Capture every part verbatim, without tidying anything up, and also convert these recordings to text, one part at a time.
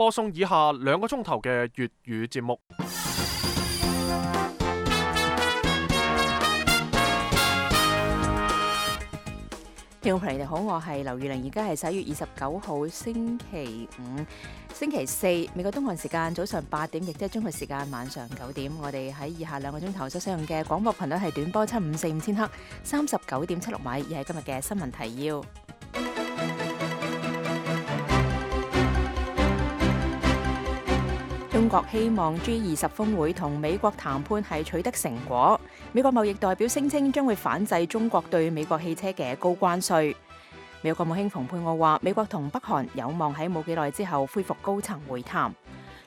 播送以下兩個鐘頭嘅粵語節目。聽眾朋友你哋好，我係劉玉玲，而家係十一月二十九號星期五、星期四，美國東岸時間早上八點，亦即係中國時間晚上九點。我哋喺以下兩個鐘頭所使用嘅廣播頻率係短波七五四五千赫，三十九點七六米，而係今日嘅新聞提要。中國希望 G 二十峰會同美國談判係取得成果。美國貿易代表聲稱將會反制中國對美國汽車嘅高關稅。美國國務卿蓬佩奧話，美國同北韓有望喺冇幾耐之後恢復高層會談。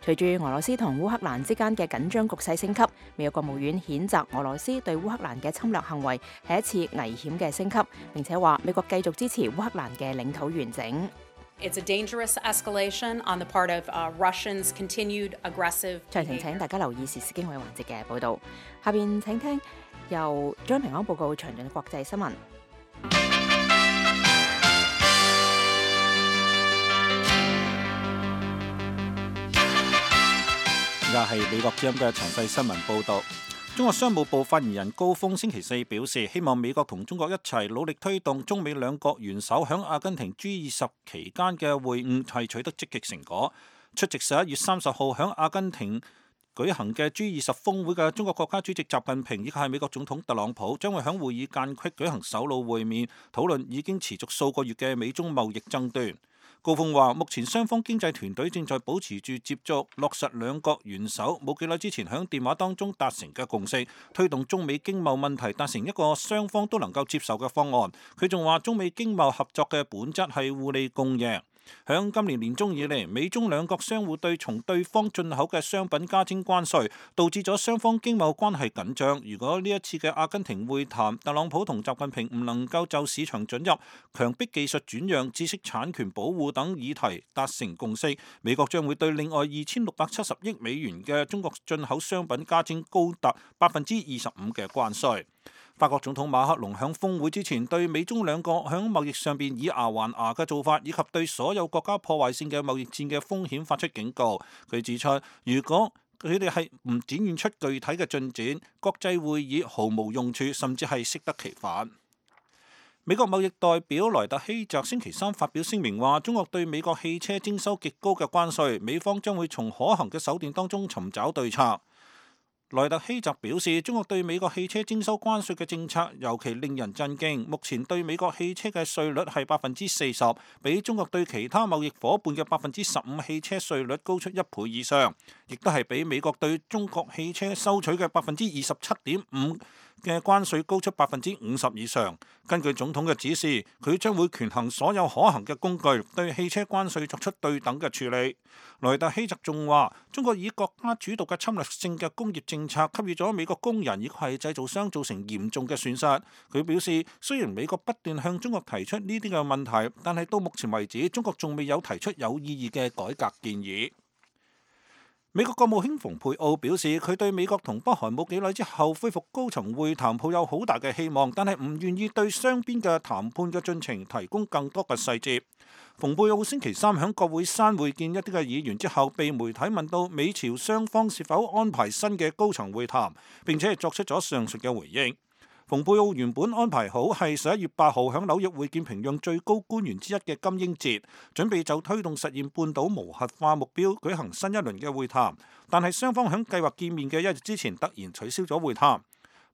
隨住俄羅斯同烏克蘭之間嘅緊張局勢升級，美國國務院譴責俄羅斯對烏克蘭嘅侵略行為係一次危險嘅升級，並且話美國繼續支持烏克蘭嘅領土完整。It's a dangerous escalation on the part of uh, Russians' continued aggressive behavior. 詳情請大家留意時事經緯環節嘅報導。下邊請聽由張平安報告詳盡嘅國際新聞。而家係美國之音嘅詳細新聞報導。中國商務部發言人高峰星期四表示，希望美國同中國一齊努力推動中美兩國元首響阿根廷 G 二十期間嘅會晤係取得積極成果。出席十一月三十號響阿根廷舉行嘅 G 二十峰會嘅中國國家主席習近平以及係美國總統特朗普將會響會議間隙舉行首腦會面，討論已經持續數個月嘅美中貿易爭端。高峰話，目前雙方經濟團隊正在保持住接觸，落實兩國元首冇幾耐之前響電話當中達成嘅共識，推動中美經貿問題達成一個雙方都能夠接受嘅方案。佢仲話，中美經貿合作嘅本質係互利共贏。響今年年中以嚟，美中兩國相互對從對方進口嘅商品加徵關稅，導致咗雙方經貿關係緊張。如果呢一次嘅阿根廷會談，特朗普同習近平唔能夠就市場准入、強迫技術轉讓、知識產權保護等議題達成共識，美國將會對另外二千六百七十億美元嘅中國進口商品加徵高達百分之二十五嘅關稅。法國總統馬克龍響峰會之前對美中兩國響貿易上邊以牙還牙嘅做法，以及對所有國家破壞性嘅貿易戰嘅風險發出警告。佢指出，如果佢哋係唔展現出具體嘅進展，國際會議毫無用處，甚至係適得其反。美國貿易代表萊特希澤星期三發表聲明話，中國對美國汽車徵收極高嘅關稅，美方將會從可行嘅手段當中尋找對策。萊特希澤表示，中國對美國汽車徵收關稅嘅政策尤其令人震驚。目前對美國汽車嘅稅率係百分之四十，比中國對其他貿易夥伴嘅百分之十五汽車稅率高出一倍以上，亦都係比美國對中國汽車收取嘅百分之二十七點五嘅關稅高出百分之五十以上。根據總統嘅指示，佢將會權衡所有可行嘅工具，對汽車關稅作出對等嘅處理。萊特希澤仲話，中國以國家主導嘅侵略性嘅工業政策給予咗美國工人以及係製造商造成嚴重嘅損失。佢表示，雖然美國不斷向中國提出呢啲嘅問題，但係到目前為止，中國仲未有提出有意義嘅改革建議。美國國務卿蓬佩奧表示，佢對美國同北韓冇幾耐之後恢復高層會談抱有好大嘅希望，但係唔願意對雙邊嘅談判嘅進程提供更多嘅細節。蓬佩奧星期三喺國會山會見一啲嘅議員之後，被媒體問到美朝雙方是否安排新嘅高層會談，並且係作出咗上述嘅回應。蓬佩奧原本安排好係十一月八號喺紐約會見平壤最高官員之一嘅金英哲，準備就推動實現半島無核化目標舉行新一輪嘅會談，但係雙方喺計劃見面嘅一日之前突然取消咗會談。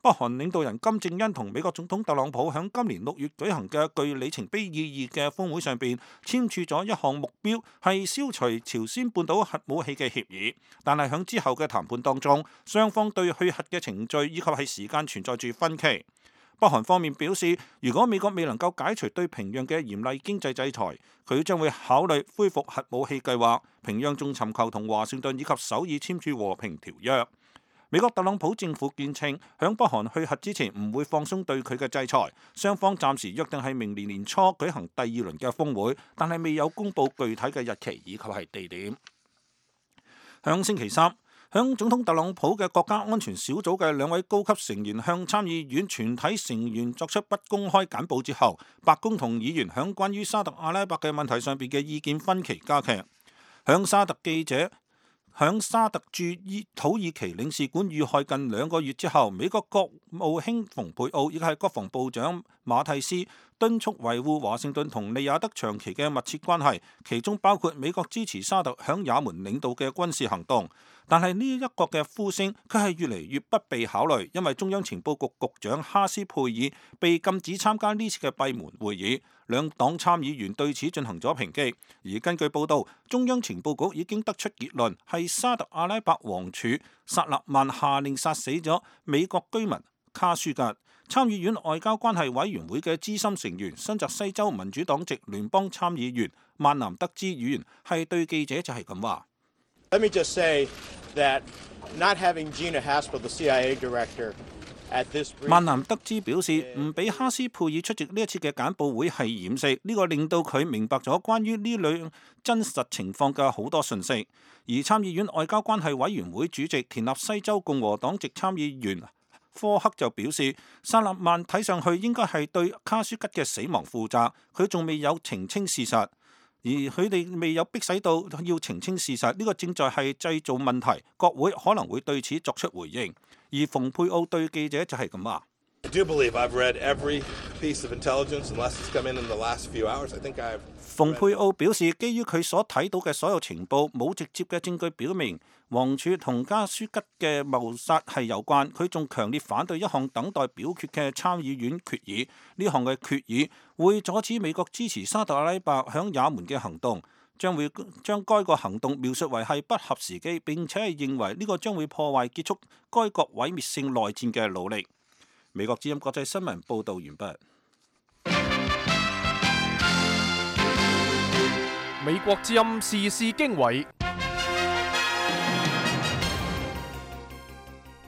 北韓領導人金正恩同美國總統特朗普喺今年六月舉行嘅具里程碑意義嘅峰會上邊簽署咗一項目標，係消除朝鮮半島核武器嘅協議。但係喺之後嘅談判當中，雙方對去核嘅程序以及係時間存在住分歧。北韓方面表示，如果美國未能夠解除對平壤嘅嚴厲經濟制裁，佢將會考慮恢復核武器計劃。平壤仲尋求同華盛頓以及首爾簽署和平條約。美國特朗普政府堅稱，響北韓去核之前唔會放鬆對佢嘅制裁。雙方暫時約定係明年年初舉行第二輪嘅峰會，但係未有公布具體嘅日期以及係地點。響星期三，響總統特朗普嘅國家安全小組嘅兩位高級成員向參議院全體成員作出不公開簡報之後，白宮同議員響關於沙特阿拉伯嘅問題上邊嘅意見分歧加劇。響沙特記者響沙特駐土耳其領事館遇害近兩個月之後，美國國務卿蓬佩奧亦係國防部長馬蒂斯敦促維護華盛頓同利雅得長期嘅密切關係，其中包括美國支持沙特響也門領導嘅軍事行動。但係呢一個嘅呼聲，佢係越嚟越不被考慮，因為中央情報局局長哈斯佩爾被禁止參加呢次嘅閉門會議，兩黨參議員對此進行咗抨擊。而根據報道，中央情報局已經得出結論，係沙特阿拉伯王儲薩勒曼下令殺死咗美國居民卡舒吉。參議院外交關係委員會嘅資深成員、新澤西州民主黨籍聯邦參議員曼南德茲議員係對記者就係咁話。Let me just say that not having Gina Haspel, the C I A director, at this briefing. 曼南德茲表示，唔俾哈斯佩爾出席呢一次嘅簡報會係掩飾，呢個令到佢明白咗關於呢兩真實情況嘅好多信息。而參議院外交關係委員會主席田納西州共和黨籍參議員科克就表示，薩勒曼睇上去應該係對卡舒吉嘅死亡負責，佢仲未有澄清事實。而佢哋未有迫使到要澄清事實，呢、這個正在係製造問題。國會可能會對此作出回應。而蓬佩奧對記者就係咁話。蓬佩奧表示，基於佢所睇到嘅所有情報，冇直接嘅證據表明王儲同卡舒吉嘅謀殺係有關。佢仲強烈反對一項等待表決嘅參議院決議，呢項嘅決議會阻止美國支持沙特阿拉伯響也門嘅行動，將會將該個行動描述為係不合時機，並且係認為呢個將會破壞結束該國毀滅性內戰嘅努力。美國之音國際新聞報導完畢。美國之音時事經緯，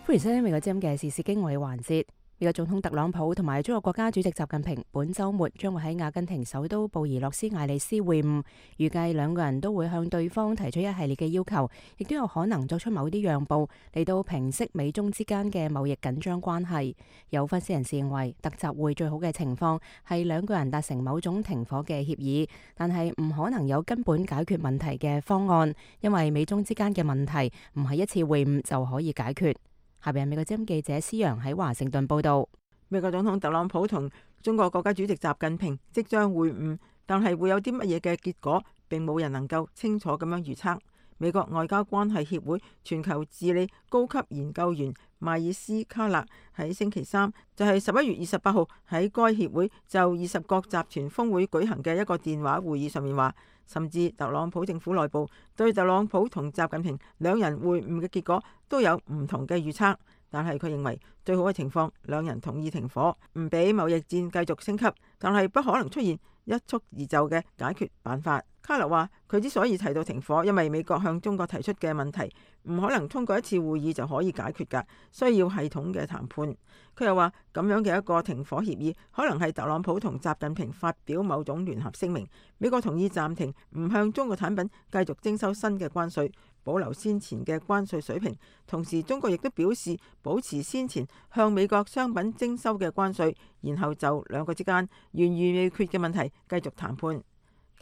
歡迎收聽美國之音嘅時事經緯環節。美國總統特朗普同埋中國國家主席習近平本週末將會喺阿根廷首都布宜諾斯艾利斯會晤，預計兩個人都會向對方提出一系列嘅要求，亦都有可能作出某啲讓步嚟到平息美中之間嘅貿易緊張關係。有分析人士認為，特集會最好嘅情況係兩個人達成某種停火嘅協議，但係唔可能有根本解決問題嘅方案，因為美中之間嘅問題唔係一次會晤就可以解決。下邊係美國之音記者施陽喺華盛頓報道。美國總統特朗普同中國國家主席習近平即將會晤，但係會有啲乜嘢嘅結果，並冇人能夠清楚咁樣預測。美國外交關係協會全球治理高級研究員邁爾斯卡勒喺星期三，就係十一月二十八號喺該協會就二十國集團峰會舉行嘅一個電話會議上面話，甚至特朗普政府內部對特朗普同習近平兩人會晤嘅結果都有唔同嘅預測，但係佢認為最好嘅情況，兩人同意停火，唔俾貿易戰繼續升級，但係不可能出現一蹴而就嘅解決辦法。卡勒話：佢之所以提到停火，因為美國向中國提出嘅問題唔可能通過一次會議就可以解決㗎，需要系統嘅談判。佢又話咁樣嘅一個停火協議，可能係特朗普同習近平發表某種聯合聲明，美國同意暫停唔向中國產品繼續徵收新嘅關稅，保留先前嘅關稅水平。同時，中國亦都表示保持先前向美國商品徵收嘅關稅，然後就兩個之間懸而未決嘅問題繼續談判。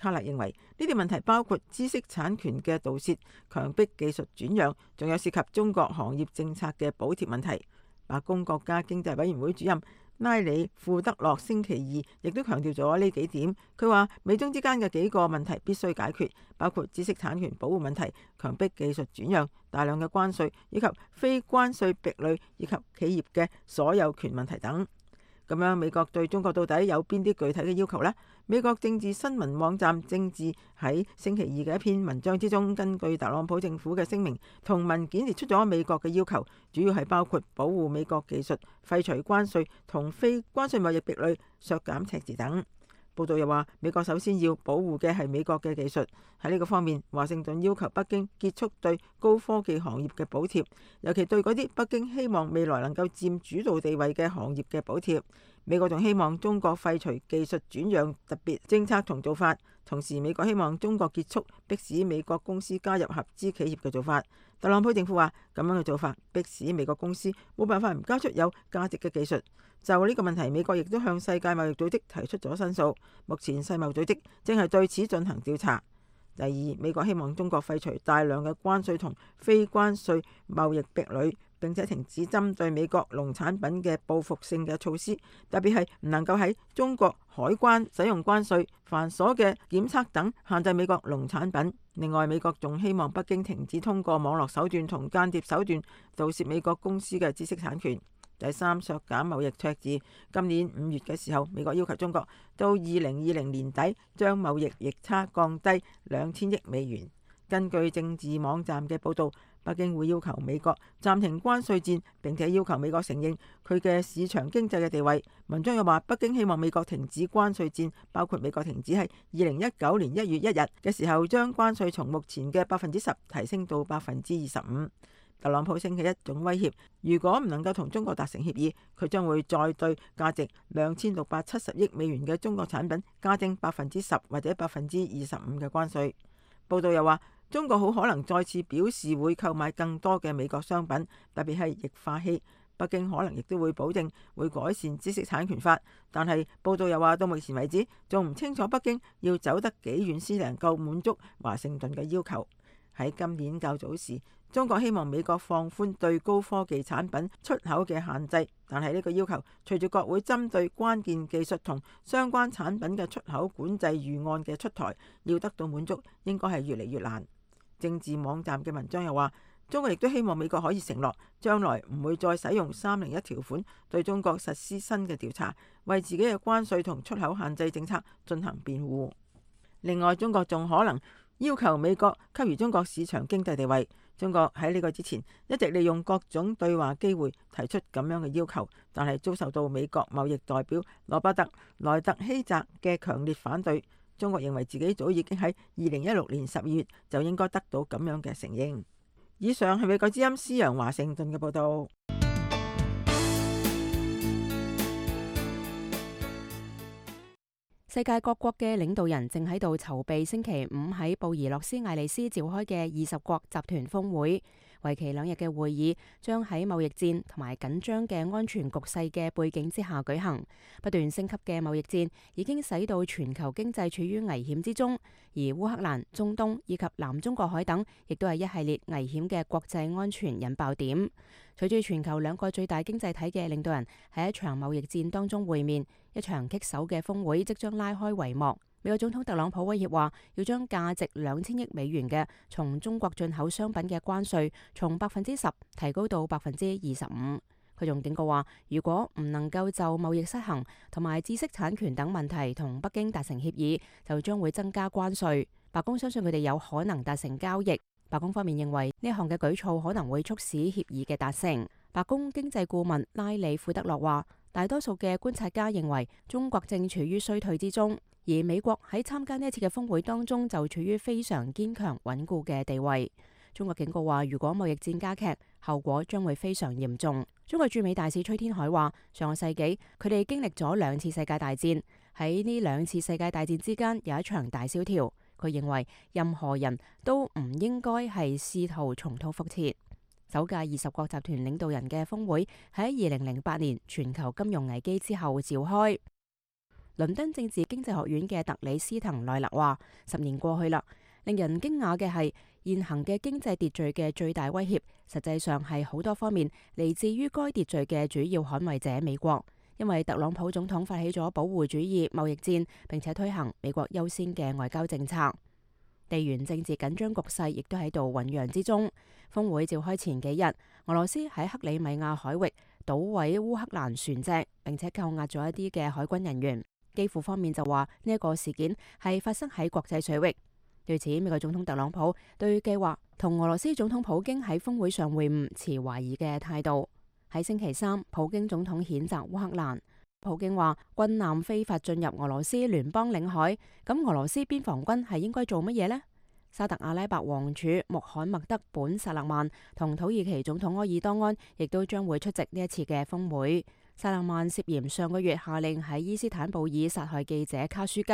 卡勒認為呢啲問題包括知識產權嘅盜竊、強迫技術轉讓，仲有涉及中國行業政策嘅補貼問題。白宮國家經濟委員會主任拉里庫德洛星期二亦都強調咗呢幾點。佢話美中之間嘅幾個問題必須解決，包括知識產權保護問題、強迫技術轉讓、大量嘅關稅以及非關稅壁壘以及企業嘅所有權問題等。咁樣美國對中國到底有邊啲具體嘅要求呢？美國政治新聞網站政治喺星期二嘅一篇文章之中，根據特朗普政府嘅聲明同文件列出咗美國嘅要求，主要係包括保護美國技術、廢除關稅同非關稅貿易壁壘、削減赤字等。報道又話，美國首先要保護嘅係美國嘅技術。喺呢個方面，華盛頓要求北京結束對高科技行業嘅補貼，尤其對嗰啲北京希望未來能夠佔主導地位嘅行業嘅補貼。美國仲希望中國廢除技術轉讓特別政策同做法，同時美國希望中國結束迫使美國公司加入合資企業嘅做法。特朗普政府話，咁樣嘅做法迫使美國公司冇辦法唔交出有價值嘅技術。就呢個問題，美國亦都向世界貿易組織提出咗申訴。目前世貿組織正係對此進行調查。第二，美國希望中國廢除大量嘅關稅同非關稅貿易壁壘，並且停止針對美國農產品嘅報復性嘅措施，特別係唔能夠喺中國海關使用關稅、繁瑣嘅檢測等限制美國農產品。另外，美國仲希望北京停止通過網絡手段同間諜手段盜竊美國公司嘅知識產權。第三，削減貿易赤字。今年五月嘅時候，美國要求中國到二零二零年底將貿易逆差降低兩千億美元。根據政治網站嘅報導，北京會要求美國暫停關稅戰，並且要求美國承認佢嘅市場經濟嘅地位。文章又話，北京希望美國停止關稅戰，包括美國停止喺二零一九年一月一日嘅時候將關稅從目前嘅百分之十提升到百分之二十五。特朗普星期一仲威脅，如果唔能夠同中國達成協議，佢將會再對價值兩千六百七十億美元嘅中國產品加徵百分之十或者百分之二十五嘅關稅。報道又話，中國好可能再次表示會購買更多嘅美國商品，特別係液化氣。北京可能亦都會保證會改善知識產權法，但係報道又話，到目前為止仲唔清楚北京要走得幾遠先能夠滿足華盛頓嘅要求。喺今年較早時，中國希望美國放寬對高科技產品出口嘅限制，但係呢個要求隨住國會針對關鍵技術同相關產品嘅出口管制預案嘅出台，要得到滿足，應該係越嚟越難。政治網站嘅文章又話，中國亦都希望美國可以承諾，將來唔會再使用三零一條款對中國實施新嘅調查，為自己嘅關稅同出口限制政策進行辯護。另外，中國仲可能要求美國給予中國市場經濟地位。中國喺呢個之前一直利用各種對話機會提出咁樣嘅要求，但係遭受到美國貿易代表羅伯特·萊特希澤嘅強烈反對。中國認為自己早已經喺二零一六年十二月就應該得到咁樣嘅承認。以上係美國之音施陽華盛頓嘅報導。世界各國嘅領導人正喺度籌備星期五喺布宜諾斯艾利斯召開嘅二十國集團峰會，為期兩日嘅會議將喺貿易戰同埋緊張嘅安全局勢嘅背景之下舉行。不斷升級嘅貿易戰已經使到全球經濟處於危險之中，而烏克蘭、中東以及南中國海等亦都係一系列危險嘅國際安全引爆點。隨住全球兩個最大經濟體嘅領導人喺一場貿易戰當中會面，一場棘手嘅峰會即將拉開帷幕。美國總統特朗普威脅話，要將價值兩千億美元嘅從中國進口商品嘅關稅從百分之十提高到百分之二十五。佢仲警告話，如果唔能夠就貿易失衡同埋知識產權等問題同北京達成協議，就將會增加關稅。白宮相信佢哋有可能達成交易。白宮方面認為呢項嘅舉措可能會促使協議嘅達成。白宮經濟顧問拉里庫德洛話，大多數嘅觀察家認為中國正處於衰退之中，而美國喺參加呢一次嘅峰會當中就處於非常堅強穩固嘅地位。中國警告話，如果貿易戰加劇，後果將會非常嚴重。中國駐美大使崔天凱話，上個世紀佢哋經歷咗兩次世界大戰，喺呢兩次世界大戰之間有一場大蕭條。佢認為任何人都唔應該係試圖重蹈覆轍。首屆二十國集團領導人嘅峰會喺二零零八年全球金融危機之後召開。倫敦政治經濟學院嘅特里斯滕奈勒話，十年過去啦，令人驚訝嘅係現行嘅經濟秩序嘅最大威脅，實際上係好多方面嚟自於該秩序嘅主要捍衛者美國。因為特朗普總統發起咗保護主義貿易戰，並且推行美國優先嘅外交政策，地緣政治緊張局勢亦都喺度醞釀之中。峰會召開前幾日，俄羅斯喺克里米亞海域搗毀烏克蘭船隻，並且扣押咗一啲嘅海軍人員。基輔方面就話呢一個事件係發生喺國際水域。對此，美國總統特朗普對計劃同俄羅斯總統普京喺峰會上會晤持懷疑嘅態度。喺星期三，普京總統譴責烏克蘭。普京話軍艦非法進入俄羅斯聯邦領海，咁俄羅斯邊防軍係應該做乜嘢呢？沙特阿拉伯王儲穆罕默德本薩勒曼同土耳其總統埃爾多安亦都將會出席呢一次嘅峰會。薩勒曼涉嫌上個月下令喺伊斯坦布爾殺害記者卡舒吉。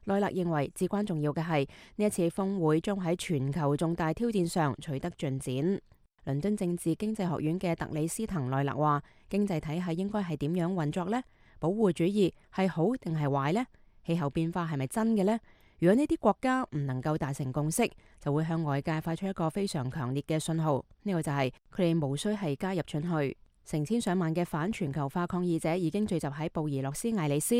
奈勒認為至關重要嘅係呢一次峰會將喺全球重大挑戰上取得進展。倫敦政治經濟學院嘅特里斯滕奈勒話，經濟體系應該係點樣運作呢？保護主義係好定係壞呢？氣候變化係咪真嘅呢？如果呢啲國家唔能夠達成共識，就會向外界發出一個非常強烈嘅信號，呢個就係佢哋無需係加入進去。成千上萬嘅反全球化抗議者已經聚集喺布宜諾斯艾利斯。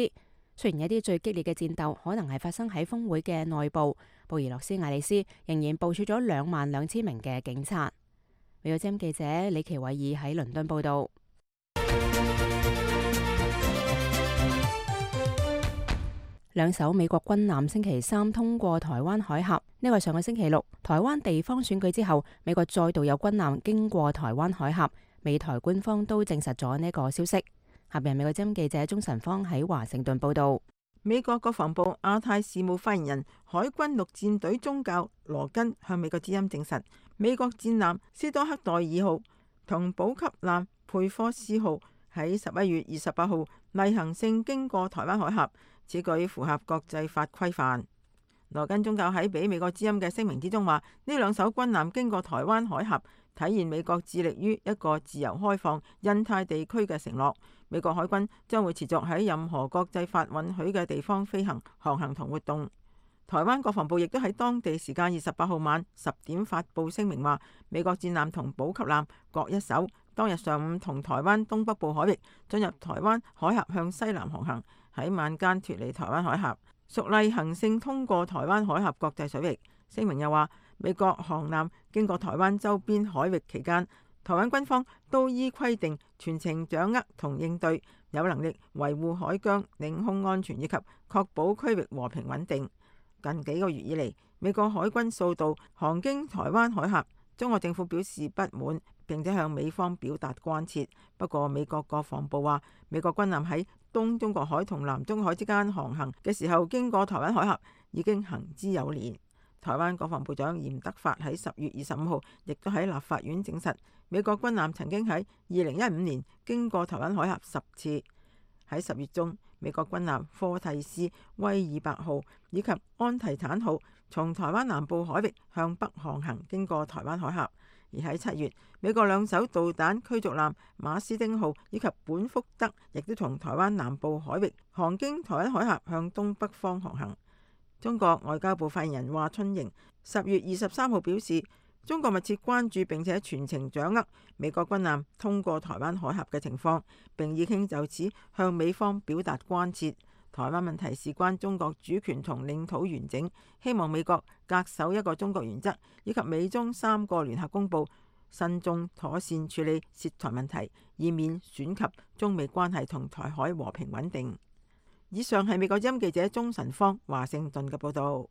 雖然一啲最激烈嘅戰鬥可能係發生喺峰會嘅內部，布宜諾斯艾利斯仍然部署咗兩萬兩千名嘅警察。美國之音記者李奇偉爾喺倫敦報道。兩艘美國軍艦星期三通過台灣海峽，呢個係上個星期六台灣地方選舉之後，美國再度有軍艦經過台灣海峽。美台官方都證實咗呢個消息。下邊美國之音記者鍾晨芳喺華盛頓報道。美國國防部亞太事務發言人海軍陸戰隊中校羅根向美國之音證實，美國戰艦斯多克代爾號同補給艦佩科斯號喺十一月二十八號例行性經過台灣海峽，此舉符合國際法規範。羅根中校喺俾美國之音嘅聲明之中話，呢兩艘軍艦經過台灣海峽，體現美國致力於一個自由開放印太地區嘅承諾。美國海軍將會持續喺任何國際法允許嘅地方飛行、航行同活動。台灣國防部亦都喺當地時間二十八號晚十點發布聲明話，美國戰艦同補給艦各一艘，當日上午同台灣東北部海域進入台灣海峽向西南航行，喺晚間脫離台灣海峽，屬例行性通過台灣海峽國際水域。聲明又話，美國航艦經過台灣周邊海域期間，台灣軍方都依規定全程掌握同應對，有能力維護海疆領空安全以及確保區域和平穩定。近幾個月以嚟，美國海軍數度航經台灣海峽，中國政府表示不滿，並且向美方表達關切。不過，美國國防部話，美國軍艦喺東中國海同南中國海之間航行嘅時候，經過台灣海峽已經行之有年。台灣國防部長嚴德發喺十月二十五號亦都喺立法院證實，美國軍艦曾經喺二零一五年經過台灣海峽十次。喺十月中，美國軍艦科蒂斯威爾伯號以及安提坦號從台灣南部海域向北航行，經過台灣海峽。而喺七月，美國兩艘導彈驅逐艦馬斯丁號以及本福德亦都從台灣南部海域航經台灣海峽向東北方航行。中國外交部發言人華春瑩十月二十三號表示，中國密切關注並且全程掌握美國軍艦通過台灣海峽嘅情況，並已經就此向美方表達關切。台灣問題事關中國主權同領土完整，希望美國恪守一個中國原則，以及美中三個聯合公報，慎重妥善處理涉台問題，以免損及中美關係同台海和平穩定。以上係美國之音記者鍾晨芳華盛頓嘅報道。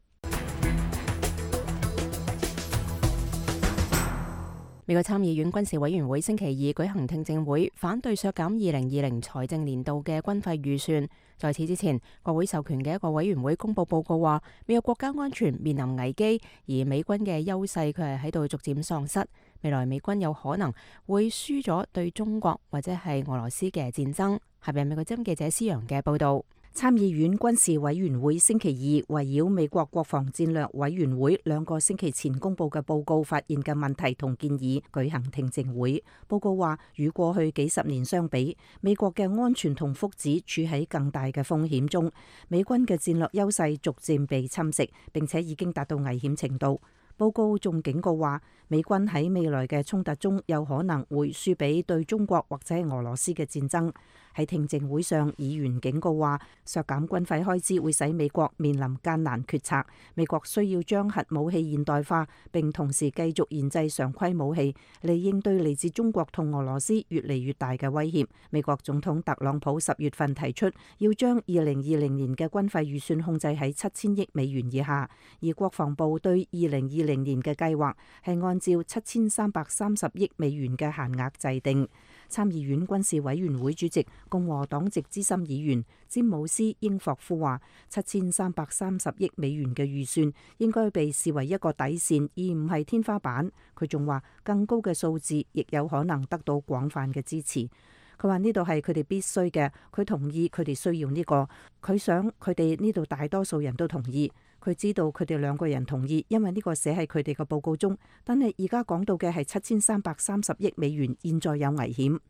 美國參議院軍事委員會星期二舉行聽證會，反對削減二零二零財政年度嘅軍費預算。在此之前，國會授權嘅一個委員會公佈報告話，美國國家安全面臨危機，而美軍嘅優勢佢係喺度逐漸喪失。未來美軍有可能會輸咗對中國或者係俄羅斯嘅戰爭。下邊美國之音記者施陽嘅報道。參議院軍事委員會星期二圍繞美國國防戰略委員會兩個星期前公佈嘅報告發現嘅問題同建議舉行聽證會。報告話，與過去幾十年相比，美國嘅安全同福祉處喺更大嘅風險中，美軍嘅戰略優勢逐漸被侵蝕，並且已經達到危險程度。報告仲警告話，美軍喺未來嘅衝突中有可能會輸俾對中國或者俄羅斯嘅戰爭。喺聽證會上，議員警告話，削減軍費開支會使美國面臨艱難決策。美國需要將核武器現代化，並同時繼續研製常規武器嚟應對嚟自中國同俄羅斯越嚟越大嘅威脅。美國總統特朗普十月份提出要將二零二零年嘅軍費預算控制喺七千億美元以下，而國防部對二零二零年嘅計劃係按照七千三百三十億美元嘅限額制定。參議院軍事委員會主席共和黨籍資深議員詹姆斯英霍夫話，七千三百三十億美元嘅預算應該被視為一個底線，而唔係天花板。佢仲話，更高嘅數字亦有可能得到廣泛嘅支持。佢話呢度係佢哋必須嘅，佢同意佢哋需要呢個，佢想佢哋呢度大多數人都同意。佢知道佢哋兩個人同意，因為呢個寫喺佢哋嘅報告中。但係而家講到嘅係七千三百三十億美元，現在有危險。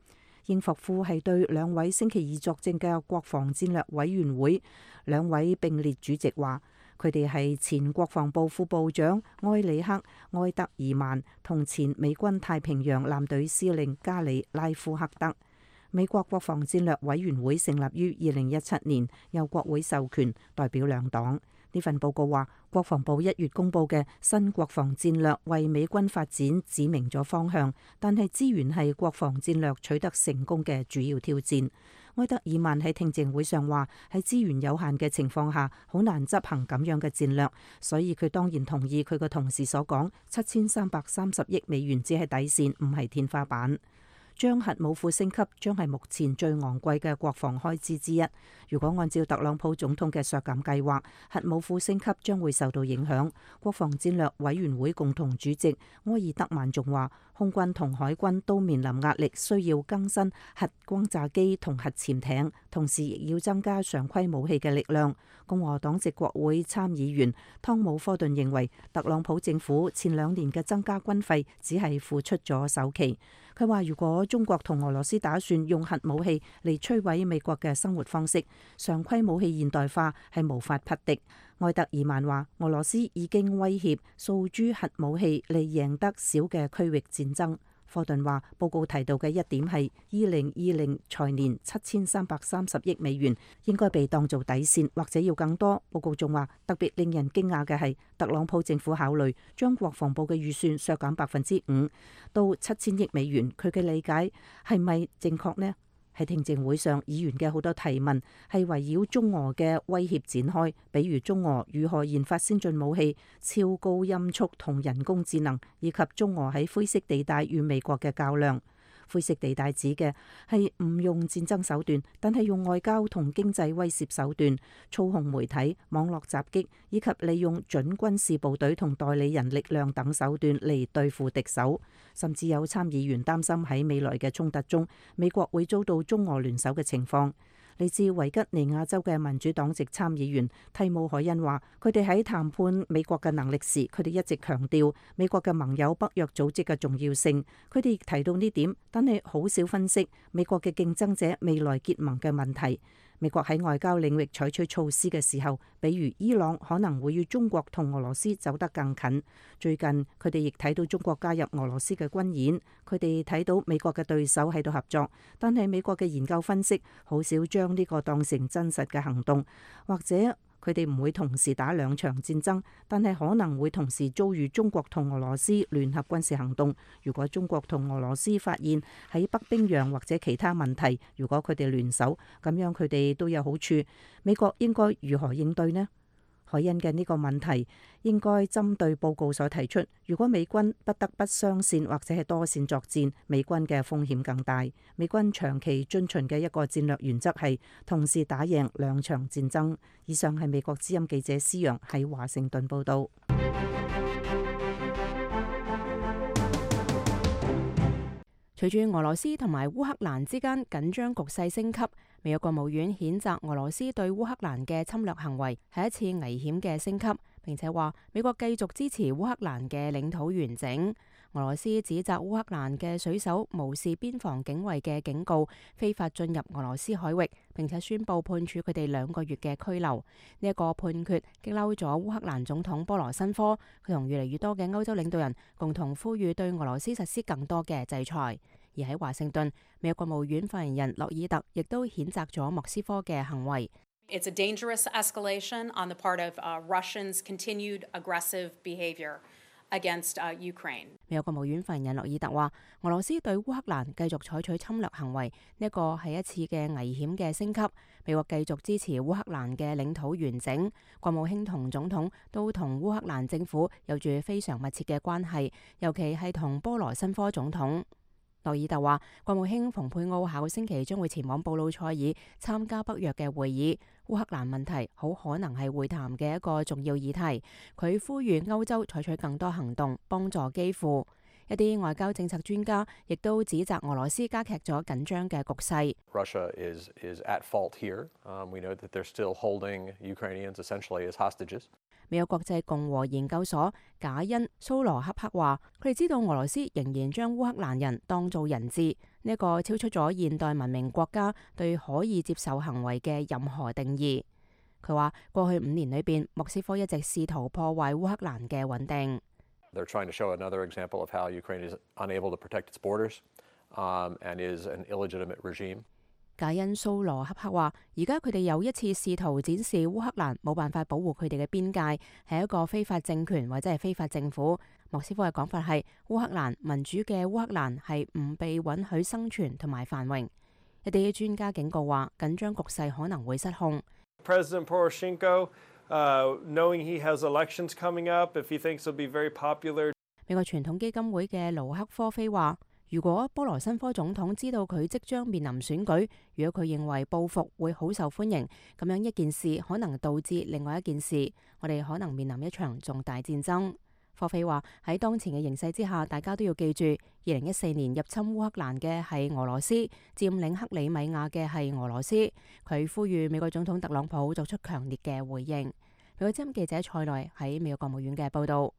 英霍夫係對兩位星期二作證嘅國防戰略委員會兩位並列主席話，佢哋係前國防部副部長埃里克·埃德爾曼同前美軍太平洋艦隊司令加里拉夫克德。美國國防戰略委員會成立於二零一七年，由國會授權，代表兩黨。呢份報告話，國防部一月公布嘅新國防戰略為美軍發展指明咗方向，但係資源係國防戰略取得成功嘅主要挑戰。埃德爾曼喺聽證會上話，喺資源有限嘅情況下，好難執行咁樣嘅戰略，所以佢當然同意佢個同事所講，七千三百三十億美元只係底線，唔係天花板。將核武庫升級將係目前最昂貴嘅國防開支之一。如果按照特朗普總統嘅削減計劃，核武庫升級將會受到影響。國防戰略委員會共同主席埃爾德曼仲話，空軍同海軍都面臨壓力，需要更新核轟炸機同核潛艇，同時亦要增加常規武器嘅力量。共和黨籍國會參議員湯姆科頓認為，特朗普政府前兩年嘅增加軍費只係付出咗首期。佢話，如果中國同俄羅斯打算用核武器嚟摧毀美國嘅生活方式，常規武器現代化係無法匹敵。埃德爾曼話，俄羅斯已經威脅訴諸核武器嚟贏得小嘅區域戰爭。科頓話，報告提到嘅一點係二零二零財年七千三百三十億美元應該被當做底線，或者要更多。報告仲話，特別令人驚訝嘅係特朗普政府考慮將國防部嘅預算削減百分之五到七千億美元。佢嘅理解係咪正確呢？喺聽證會上，議員嘅好多提問係圍繞中俄嘅威脅展開，比如中俄如何研發先進武器、超高音速同人工智能，以及中俄喺灰色地帶與美國嘅較量。灰色地帶指嘅係唔用戰爭手段，但係用外交同經濟威懾手段操控媒體、網絡襲擊，以及利用準軍事部隊同代理人力量等手段嚟對付敵手。甚至有參議員擔心喺未來嘅衝突中，美國會遭到中俄聯手嘅情況。嚟自維吉尼亞州嘅民主黨籍參議員蒂姆海恩話，佢哋喺談判美國嘅能力時，佢哋一直強調美國嘅盟友北約組織嘅重要性。佢哋亦提到呢點，但係好少分析美國嘅競爭者未來結盟嘅問題。美國喺外交領域採取措施嘅時候，比如伊朗可能會與中國同俄羅斯走得更近。最近佢哋亦睇到中國加入俄羅斯嘅軍演，佢哋睇到美國嘅對手喺度合作，但係美國嘅研究分析好少將呢個當成真實嘅行動，或者佢哋唔會同時打兩場戰爭，但係可能會同時遭遇中國同俄羅斯聯合軍事行動。如果中國同俄羅斯發現喺北冰洋或者其他問題，如果佢哋聯手，咁樣佢哋都有好處。美國應該如何應對呢？海恩嘅呢個問題應該針對報告所提出，如果美軍不得不雙線或者係多線作戰，美軍嘅風險更大。美軍長期遵循嘅一個戰略原則係同時打贏兩場戰爭。以上係美國之音記者施陽喺華盛頓報導。隨住俄羅斯同埋烏克蘭之間緊張局勢升級，美國國務院譴責俄羅斯對烏克蘭嘅侵略行為係一次危險嘅升級，並且話美國繼續支持烏克蘭嘅領土完整。俄羅斯指責烏克蘭嘅水手無視邊防警衛嘅警告，非法進入俄羅斯海域，並且宣布判處佢哋兩個月嘅拘留。呢一個判決激嬲咗烏克蘭總統波羅申科，佢同越嚟越多嘅歐洲領導人共同呼籲對俄羅斯實施更多嘅制裁。而喺華盛頓，美國國務院發言人洛爾特亦都譴責咗莫斯科嘅行為。It's a dangerous escalation on the part of uh, Russians' continued aggressive behavior against uh, Ukraine. 美國國務院發言人洛爾特話，俄羅斯對烏克蘭繼續採取侵略行為，呢一個係一次嘅危險嘅升級。美國繼續支持烏克蘭嘅領土完整。國務卿同總統都同烏克蘭政府有住非常密切嘅關係，尤其係同波羅申科總統。洛爾特話，國務卿蓬佩奧下個星期將會前往布魯塞爾參加北約嘅會議。烏克蘭問題好可能係會談嘅一個重要議題。佢呼籲歐洲採取更多行動，幫助基輔。一啲外交政策專家亦都指責俄羅斯加劇咗緊張嘅局勢。Russia is is at fault here. Um, we know that they're still holding Ukrainians essentially as hostages. 美國國際共和研究所賈恩蘇羅克克話，佢哋知道俄羅斯仍然將烏克蘭人當做人質，呢一個超出咗現代文明國家對可以接受行為嘅任何定義。佢話過去五年裏邊，莫斯科一直試圖破壞烏克蘭嘅穩定。They're trying to show another example of how Ukraine is unable to protect its borders, um, and is an illegitimate regime. 解恩蘇羅恰克話：而家佢哋又一次試圖展示烏克蘭冇辦法保護佢哋嘅邊界，係一個非法政權或者係非法政府。莫斯科嘅講法係烏克蘭民主嘅烏克蘭係唔被允許生存同埋繁榮。一啲專家警告話，緊張局勢可能會失控。President Poroshenko, uh, knowing he has elections coming up, if he thinks he'll be very popular. 美國傳統基金會嘅盧克科菲話：如果波羅申科總統知道佢即將面臨選舉，如果佢認為報復會好受歡迎，咁樣一件事可能導致另外一件事，我哋可能面臨一場重大戰爭。科菲話喺當前嘅形勢之下，大家都要記住，二零一四年入侵烏克蘭嘅係俄羅斯，佔領克里米亞嘅係俄羅斯。佢呼籲美國總統特朗普作出強烈嘅回應。美國之音記者蔡內喺美國國務院嘅報導。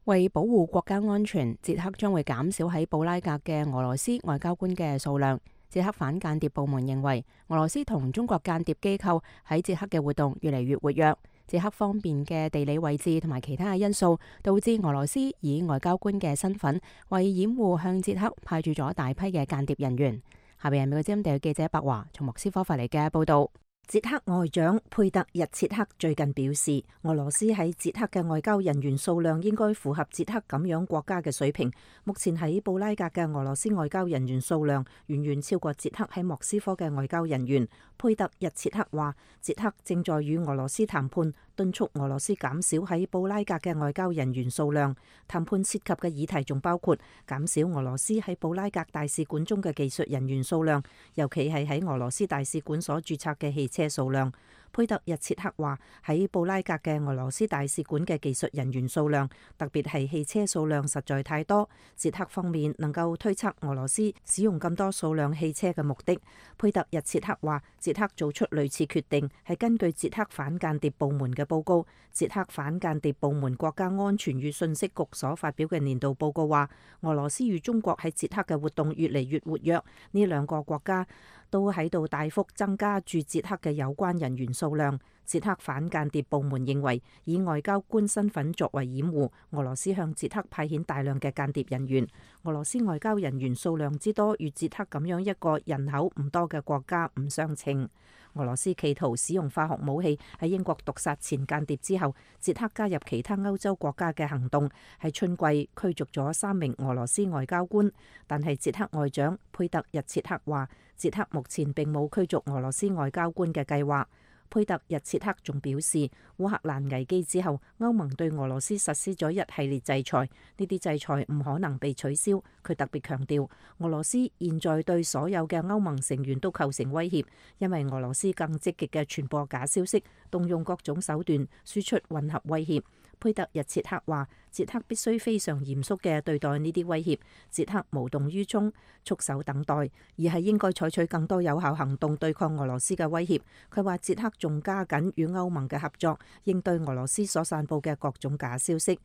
為保護國家安全，捷克將會減少喺布拉格嘅俄羅斯外交官嘅數量。捷克反間諜部門認為，俄羅斯同中國間諜機構喺捷克嘅活動越嚟越活躍。捷克方面嘅地理位置同埋其他嘅因素，導致俄羅斯以外交官嘅身份，為掩護向捷克派駐咗大批嘅間諜人員。下邊係美國之音地記者白華從莫斯科發嚟嘅報道。捷克外長佩特日切克最近表示，俄羅斯喺捷克嘅外交人員數量應該符合捷克咁樣國家嘅水平。目前喺布拉格嘅俄羅斯外交人員數量遠遠超過捷克喺莫斯科嘅外交人員。佩特日切克話，捷克正在與俄羅斯談判，敦促俄羅斯減少喺布拉格嘅外交人員數量。談判涉及嘅議題仲包括減少俄羅斯喺布拉格大使館中嘅技術人員數量，尤其係喺俄羅斯大使館所註冊嘅汽車數量。佩特日切克話，喺布拉格嘅俄羅斯大使館嘅技術人員數量，特別係汽車數量實在太多。捷克方面能夠推測俄羅斯使用咁多數量汽車嘅目的。佩特日切克話，捷克做出類似決定係根據捷克反間諜部門嘅報告。捷克反間諜部門國家安全與信息局所發表嘅年度報告話，俄羅斯與中國喺捷克嘅活動越嚟越活躍，呢兩個國家都喺度大幅增加駐捷克嘅有關人員數量。捷克反間諜部門認為，以外交官身份作為掩護，俄羅斯向捷克派遣大量嘅間諜人員。俄羅斯外交人員數量之多，與捷克咁樣一個人口唔多嘅國家唔相稱。俄羅斯企圖使用化學武器喺英國毒殺前間諜之後，捷克加入其他歐洲國家嘅行動，喺春季驅逐咗三名俄羅斯外交官。但係捷克外長佩特日切克話，捷克目前並冇驅逐俄羅斯外交官嘅計劃。佩特日切克仲表示，烏克蘭危機之後，歐盟對俄羅斯實施咗一系列制裁，呢啲制裁唔可能被取消。佢特別強調，俄羅斯現在對所有嘅歐盟成員都構成威脅，因為俄羅斯更積極嘅傳播假消息，動用各種手段輸出混合威脅。佩特日切克話，捷克必須非常嚴肅嘅對待呢啲威脅，捷克無動於衷、束手等待，而係應該採取更多有效行動對抗俄羅斯嘅威脅。佢話捷克仲加緊與歐盟嘅合作，應對俄羅斯所散佈嘅各種假消息。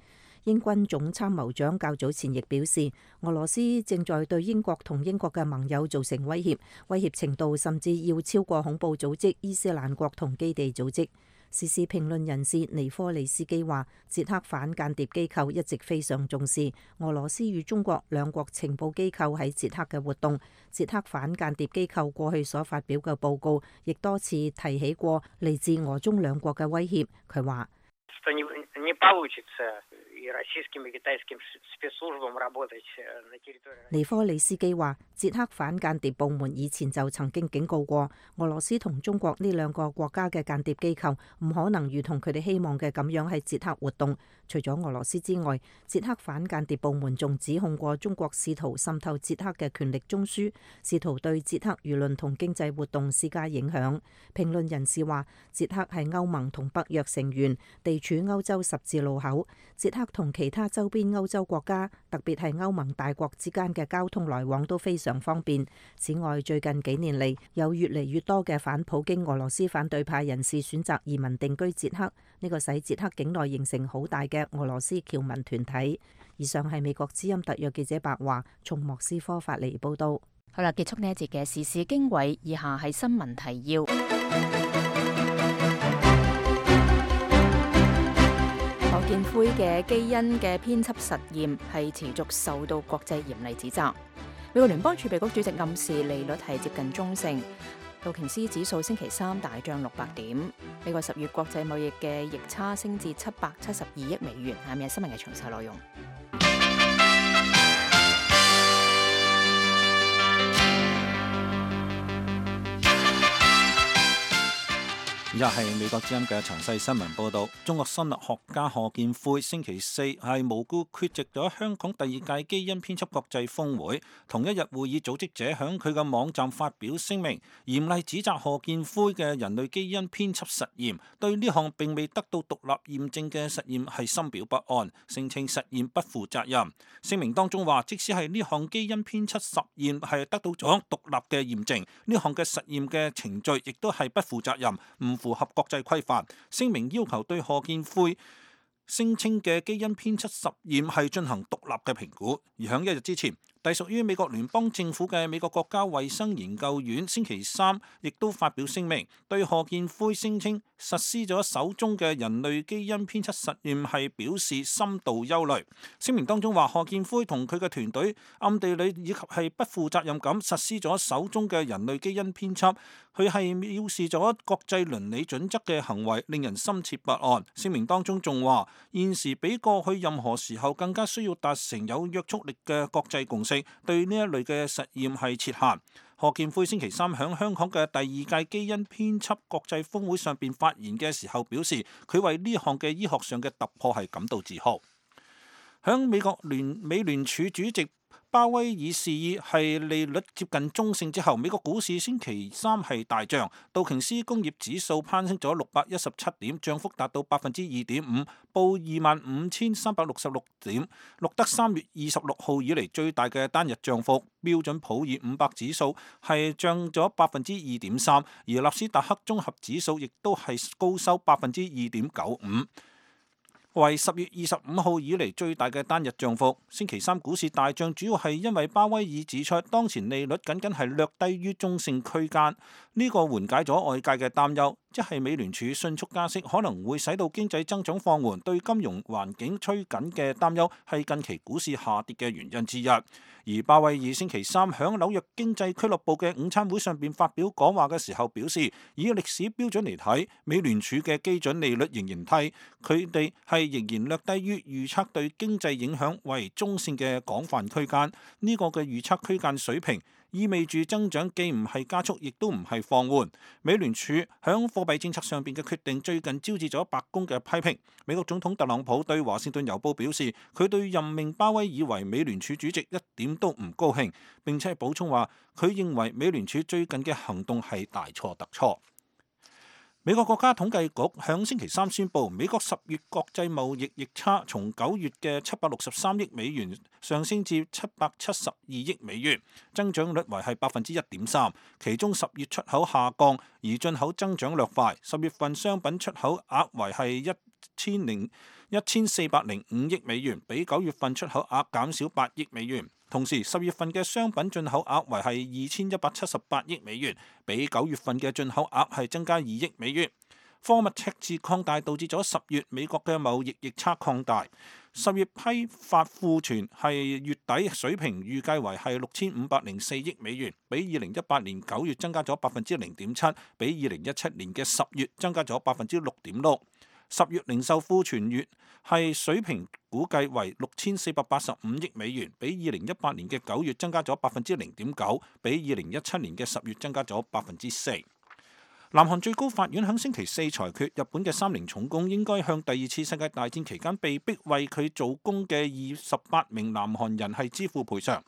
英軍總參謀長較早前亦表示，俄羅斯正在對英國同英國嘅盟友造成威脅，威脅程度甚至要超過恐怖組織伊斯蘭國同基地組織。時事評論人士尼科利斯基話，捷克反間諜機構一直非常重視俄羅斯與中國兩國情報機構喺捷克嘅活動。捷克反間諜機構過去所發表嘅報告，亦多次提起過嚟自俄中兩國嘅威脅。佢話，尼科里斯基話，捷克反間諜部門以前就曾經警告過俄羅斯同中國呢兩個國家嘅間諜機構唔可能如同佢哋希望嘅咁樣喺捷克活動。除咗俄羅斯之外，捷克反間諜部門仲指控過中國試圖滲透捷克嘅權力中樞，試圖對捷克輿論同經濟活動施加影響。評論人士話，捷克係歐盟同北約成員，地處歐洲十字路口。捷克同其他周邊歐洲國家，特別係歐盟大國之間嘅交通來往都非常方便。此外，最近幾年嚟，有越嚟越多嘅反普京俄羅斯反對派人士選擇移民定居捷克，呢個使捷克境內形成好大嘅俄羅斯僑民團體。以上係美國之音特約記者白華從莫斯科發嚟報道。好啦，結束呢一節嘅時事經緯，以下係新聞提要。賀建奎嘅基因嘅編輯實驗係持續受到國際嚴厲指責。美國聯邦儲備局主席暗示利率係接近中性。道瓊斯指數星期三大漲六百點。美國十月國際貿易嘅逆差升至七百七十二億美元。下面係新聞嘅詳細內容。以下係美國之音嘅詳細新聞報導。中國生物學家賀建奎星期四係無故缺席咗香港第二屆基因編輯國際峰會。同一日會議組織者響佢嘅網站發表聲明，嚴厲指責賀建奎嘅人類基因編輯實驗對呢項並未得到獨立驗證嘅實驗係深表不安，聲稱實驗不負責任。聲明當中話，即使係呢項基因編輯實驗係得到咗獨立嘅驗證，呢項嘅實驗嘅程序亦都係不負責任，唔符合國際規範。聲明要求對賀建奎聲稱嘅基因編輯實驗係進行獨立嘅評估。而響一日之前，隸屬於美國聯邦政府嘅美國國家衛生研究院星期三亦都發表聲明，對賀建奎聲稱實施咗首宗嘅人類基因編輯實驗係表示深度憂慮。聲明當中話，賀建奎同佢嘅團隊暗地裏以及係不負責任咁實施咗首宗嘅人類基因編輯，佢係藐視咗國際倫理準則嘅行為，令人深切不安。聲明當中仲話，現時比過去任何時候更加需要達成有約束力嘅國際共識，對呢一類嘅實驗係設限。賀建奎星期三響香港嘅第二屆基因編輯國際峰會上邊發言嘅時候表示，佢為呢項嘅醫學上嘅突破係感到自豪。響美國聯美聯儲主席鮑威爾示意係利率接近中性之後，美國股市星期三係大漲，道瓊斯工業指數攀升咗六百一十七點，漲幅達到百分之二點五，報二萬五千三百六十六點，錄得三月二十六號以嚟最大嘅單日漲幅。標準普爾五百指數係漲咗百分之二點三，而納斯達克綜合指數亦都係高收百分之二點九五。為十月二十五號以嚟最大嘅單日漲幅。星期三股市大漲，主要係因為鮑威爾指出，當前利率僅僅係略低於中性區間，呢個緩解咗外界嘅擔憂，即係美聯儲迅速加息可能會使到經濟增長放緩，對金融環境趨緊嘅擔憂係近期股市下跌嘅原因之一。而鮑威爾星期三響紐約經濟俱樂部嘅午餐會上邊發表講話嘅時候表示，以歷史標準嚟睇，美聯儲嘅基準利率仍然低，佢哋係仍然略低於預測對經濟影響為中性嘅廣泛區間。呢個嘅預測區間水平意味住增長既唔係加速，亦都唔係放緩。美聯儲響貨幣政策上邊嘅決定最近招致咗白宮嘅批評。美國總統特朗普對華盛頓郵報表示，佢對任命鮑威爾為美聯儲主席一點都唔高興，並且補充話佢認為美聯儲最近嘅行動係大錯特錯。美國國家統計局響星期三宣布，美國十月國際貿易逆差從九月嘅七百六十三億美元上升至七百七十二億美元，增長率為係百分之一點三。其中十月出口下降，而進口增長略快。十月份商品出口額為係一千零一千四百零五億美元，比九月份出口額減少八億美元。同時，十月份嘅商品進口額為係二千一百七十八億美元，比九月份嘅進口額係增加二億美元。貨物赤字擴大導致咗十月美國嘅貿易逆差擴大。十月批發庫存係月底水平預計為係六千五百零四億美元，比二零一八年九月增加咗百分之零點七，比二零一七年嘅十月增加咗百分之六點六。十月零售庫存月係水平估計為六千四百八十五億美元，比二零一八年嘅九月增加咗百分之零點九，比二零一七年嘅十月增加咗百分之四。南韓最高法院喺星期四裁決，日本嘅三菱重工應該向第二次世界大戰期間被逼為佢做工嘅二十八名南韓人係支付賠償。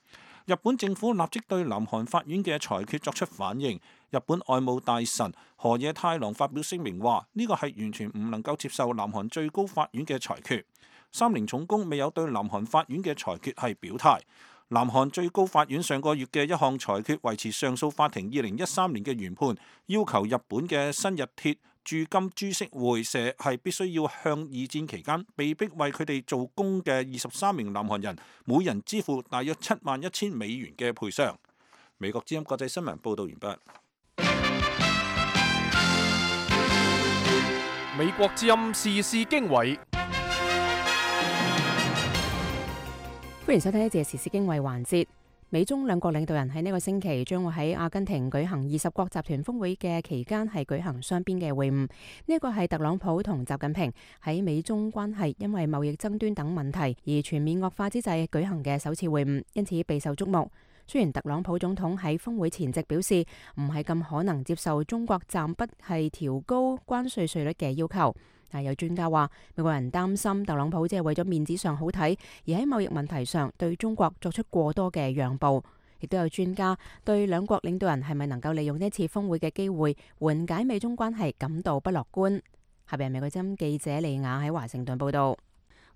日本政府立即對南韓法院嘅裁決作出反應。日本外務大臣河野太郎發表聲明話：呢個係完全唔能夠接受南韓最高法院嘅裁決。三菱重工未有對南韓法院嘅裁決係表態。南韓最高法院上個月嘅一項裁決維持上訴法庭二零一三年嘅原判，要求日本嘅新日鐵駐金株式會社係必須要向二戰期間被逼為佢哋做工嘅二十三名南韓人每人支付大約七萬一千美元嘅賠償。美國之音國際新聞報導完畢。美國之音時事經緯，歡迎收聽呢節時事經緯環節。美中兩國領導人喺呢個星期將會喺阿根廷舉行二十國集團峰會嘅期間係舉行雙邊嘅會晤。呢一個係特朗普同習近平喺美中關係因為貿易爭端等問題而全面惡化之際舉行嘅首次會晤，因此備受矚目。雖然特朗普總統喺峰會前夕表示唔係咁可能接受中國暫不係調高關稅稅率嘅要求，但有專家話美國人擔心特朗普只係為咗面子上好睇，而喺貿易問題上對中國作出過多嘅讓步。亦都有專家對兩國領導人係咪能夠利用呢次峰會嘅機會緩解美中關係感到不樂觀。下邊係美國之音記者利亞喺華盛頓報道。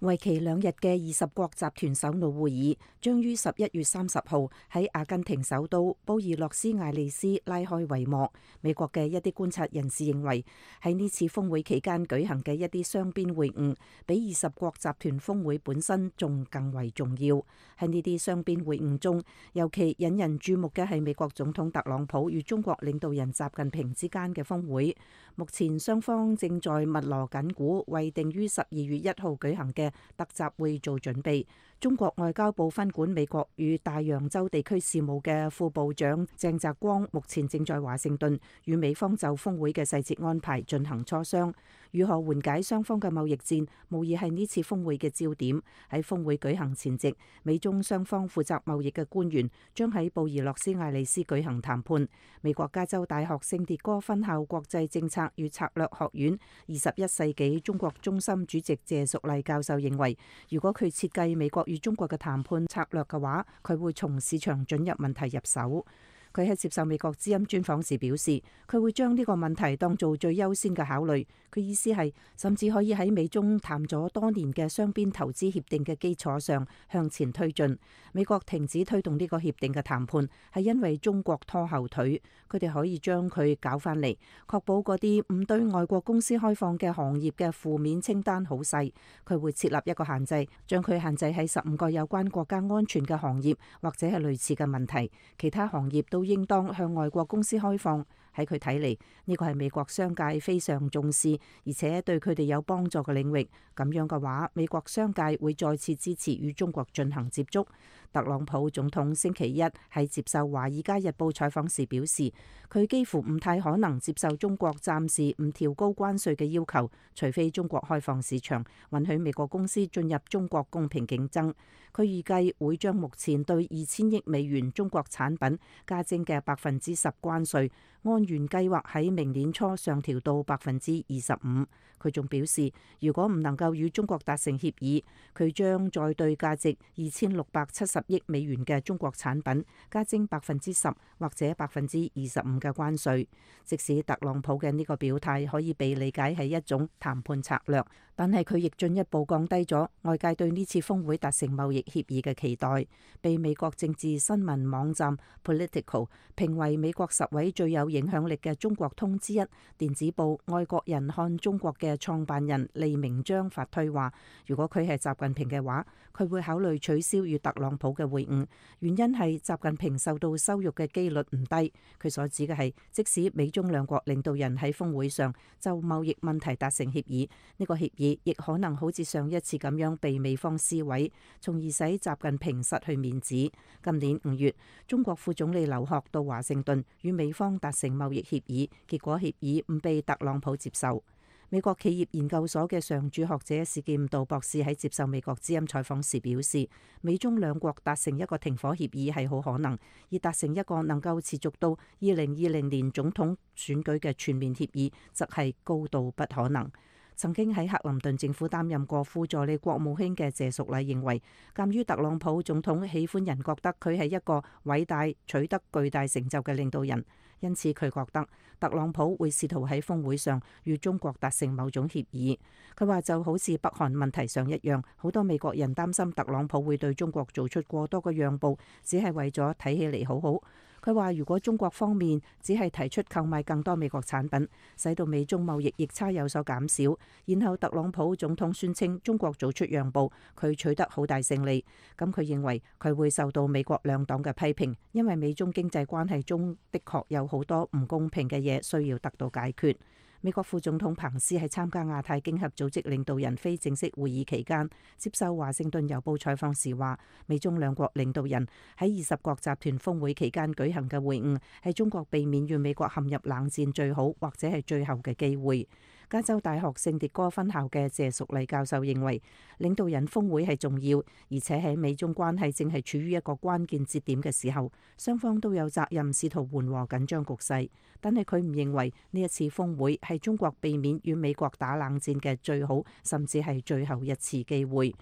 為期兩日嘅二十國集團首腦會議將於十一月三十號喺阿根廷首都布宜諾斯艾利斯拉開帷幕。美國嘅一啲觀察人士認為，喺呢次峰會期間舉行嘅一啲雙邊會晤，比二十國集團峰會本身仲更為重要。喺呢啲雙邊會晤中，尤其引人注目嘅係美國總統特朗普與中國領導人習近平之間嘅峰會。目前雙方正在密鑼緊鼓，為定於十二月一號舉行嘅特集會做準備。中國外交部分管美國與大洋洲地區事務嘅副部長鄭澤光目前正在華盛頓與美方就峰會嘅細節安排進行磋商。如何緩解雙方嘅貿易戰，無疑係呢次峰會嘅焦點。喺峰會舉行前夕，美中雙方負責貿易嘅官員將喺布宜諾斯艾利斯舉行談判。美國加州大學聖迭戈分校國際政策與策略學院二十一世紀中國中心主席謝淑麗教授認為，如果佢設計美國與中國嘅談判策略嘅話，佢會從市場准入問題入手。佢喺接受美國之音專訪時表示，佢會將呢個問題當做最優先嘅考慮。佢意思係，甚至可以喺美中談咗多年嘅雙邊投資協定嘅基礎上向前推進。美國停止推動呢個協定嘅談判，係因為中國拖後腿。佢哋可以將佢搞翻嚟，確保嗰啲唔對外國公司開放嘅行業嘅負面清單好細。佢會設立一個限制，將佢限制喺十五個有關國家安全嘅行業，或者係類似嘅問題。其他行業都應當向外國公司開放。喺佢睇嚟，呢個係美國商界非常重視，而且對佢哋有幫助嘅領域。咁樣嘅話，美國商界會再次支持與中國進行接觸。特朗普總統星期一喺接受《華爾街日報》採訪時表示，佢幾乎唔太可能接受中國暫時唔調高關稅嘅要求，除非中國開放市場，允許美國公司進入中國公平競爭。佢預計會將目前對二千億美元中國產品加徵嘅百分之十關稅，按原計劃喺明年初上調到百分之二十五。佢仲表示，如果唔能夠與中國達成協議，佢將再對價值二千六百七十億美元嘅中國產品加徵百分之十或者百分之二十五嘅關稅。即使特朗普嘅呢個表態可以被理解係一種談判策略，但係佢亦進一步降低咗外界對呢次峰會達成貿易協議嘅期待。被美國政治新聞網站 Political 評為美國十位最有影響力嘅中國通之一，電子報《外國人看中國》嘅創辦人利明章發推話，如果佢係習近平嘅話，佢會考慮取消與特朗普嘅會晤，原因係習近平受到羞辱嘅機率唔低。佢所指嘅係，即使美中兩國領導人喺峰會上就貿易問題達成協議，呢個協議亦可能好似上一次咁樣被美方撕毀，從而使習近平失去面子。今年五月，中國副總理劉鶴到華盛頓與美方達成貿易協議，結果協議唔被特朗普接受。美國企業研究所嘅常駐學者史劍道博士喺接受美國之音採訪時表示，美中兩國達成一個停火協議係好可能，而達成一個能夠持續到二零二零年總統選舉嘅全面協議，則係高度不可能。曾經喺克林頓政府擔任過副助理國務卿嘅謝淑麗認為，鑑於特朗普總統喜歡人覺得佢係一個偉大、取得巨大成就嘅領導人，因此佢覺得特朗普會試圖喺峰會上與中國達成某種協議。佢話就好似北韓問題上一樣，好多美國人擔心特朗普會對中國做出過多嘅讓步，只係為咗睇起嚟好好。佢話如果中國方面只係提出購買更多美國產品，使到美中貿易逆差有所減少，然後特朗普總統宣稱中國做出讓步，佢取得好大勝利，咁佢認為佢會受到美國兩黨嘅批評，因為美中經濟關係中的確有好多唔公平嘅嘢需要得到解決。美國副總統彭斯喺參加亞太經合組織領導人非正式會議期間，接受華盛頓郵報採訪時話，美中兩國領導人喺二十國集團峰會期間舉行嘅會晤，係中國避免與美國陷入冷戰最好或者係最後嘅機會。加州大學聖迭戈分校嘅謝淑麗教授認為，領導人峰會係重要，而且喺美中關係正係處於一個關鍵節點嘅時候，雙方都有責任試圖緩和緊張局勢。但係佢唔認為呢一次峰會係中國避免與美國打冷戰嘅最好，甚至係最後一次機會。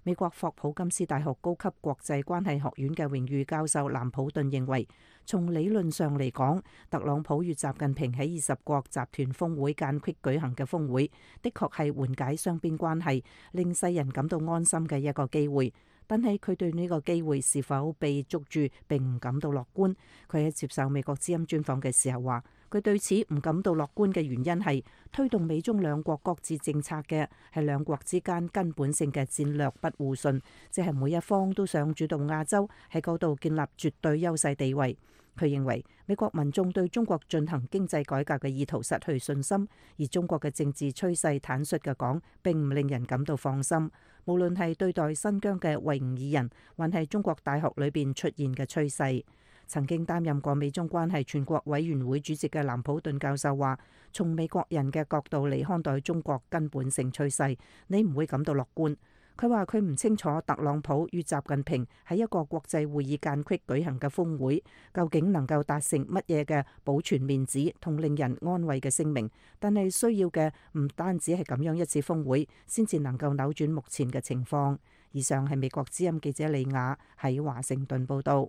美國霍普金斯大學高級國際關係學院嘅榮譽教授藍普頓認為，從理論上嚟講，特朗普與習近平喺二十國集團峰會間隙舉行嘅峰會，的確係緩解雙邊關係、令世人感到安心嘅一個機會。但係佢對呢個機會是否被捉住並唔感到樂觀。佢喺接受美國之音專訪嘅時候話，佢對此唔感到樂觀嘅原因係推動美中兩國各自政策嘅係兩國之間根本性嘅戰略不互信，即係每一方都想主導亞洲喺嗰度建立絕對優勢地位。佢認為美國民眾對中國進行經濟改革嘅意圖失去信心，而中國嘅政治趨勢坦率嘅講並唔令人感到放心。無論係對待新疆嘅維吾爾人，還係中國大學裏邊出現嘅趨勢。曾經擔任過美中關係全國委員會主席嘅藍普頓教授話，從美國人嘅角度嚟看待中國根本性趨勢，你唔會感到樂觀。佢話佢唔清楚特朗普與習近平喺一個國際會議間隙舉行嘅峰會，究竟能夠達成乜嘢嘅保存面子同令人安慰嘅聲明，但係需要嘅唔單止係咁樣一次峰會，先至能夠扭轉目前嘅情況。以上係美國之音記者李雅喺華盛頓報道。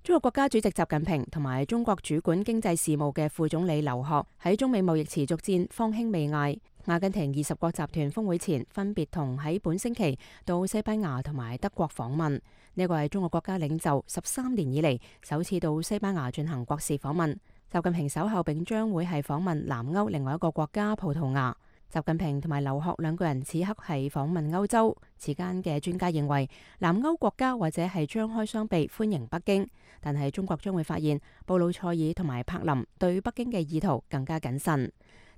中國國家主席習近平同埋中國主管經濟事務嘅副總理劉鶴喺中美貿易持續戰方興未艾。阿根廷二十國集團峰會前，分別同喺本星期到西班牙同埋德國訪問。呢個係中國國家領袖十三年以嚟首次到西班牙進行國事訪問。習近平稍後並將會係訪問南歐另外一個國家葡萄牙。習近平同埋劉鶴兩個人此刻係訪問歐洲。此間嘅專家認為，南歐國家或者係張開雙臂歡迎北京，但係中國將會發現布魯塞爾同埋柏林對北京嘅意圖更加謹慎。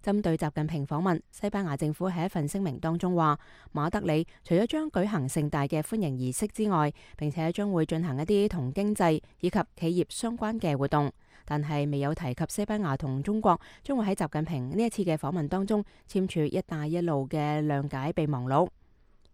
針對習近平訪問，西班牙政府喺一份聲明當中話，馬德里除咗將舉行盛大嘅歡迎儀式之外，並且將會進行一啲同經濟以及企業相關嘅活動。但係未有提及西班牙同中國將會喺習近平呢一次嘅訪問當中簽署一帶一路嘅諒解備忘錄。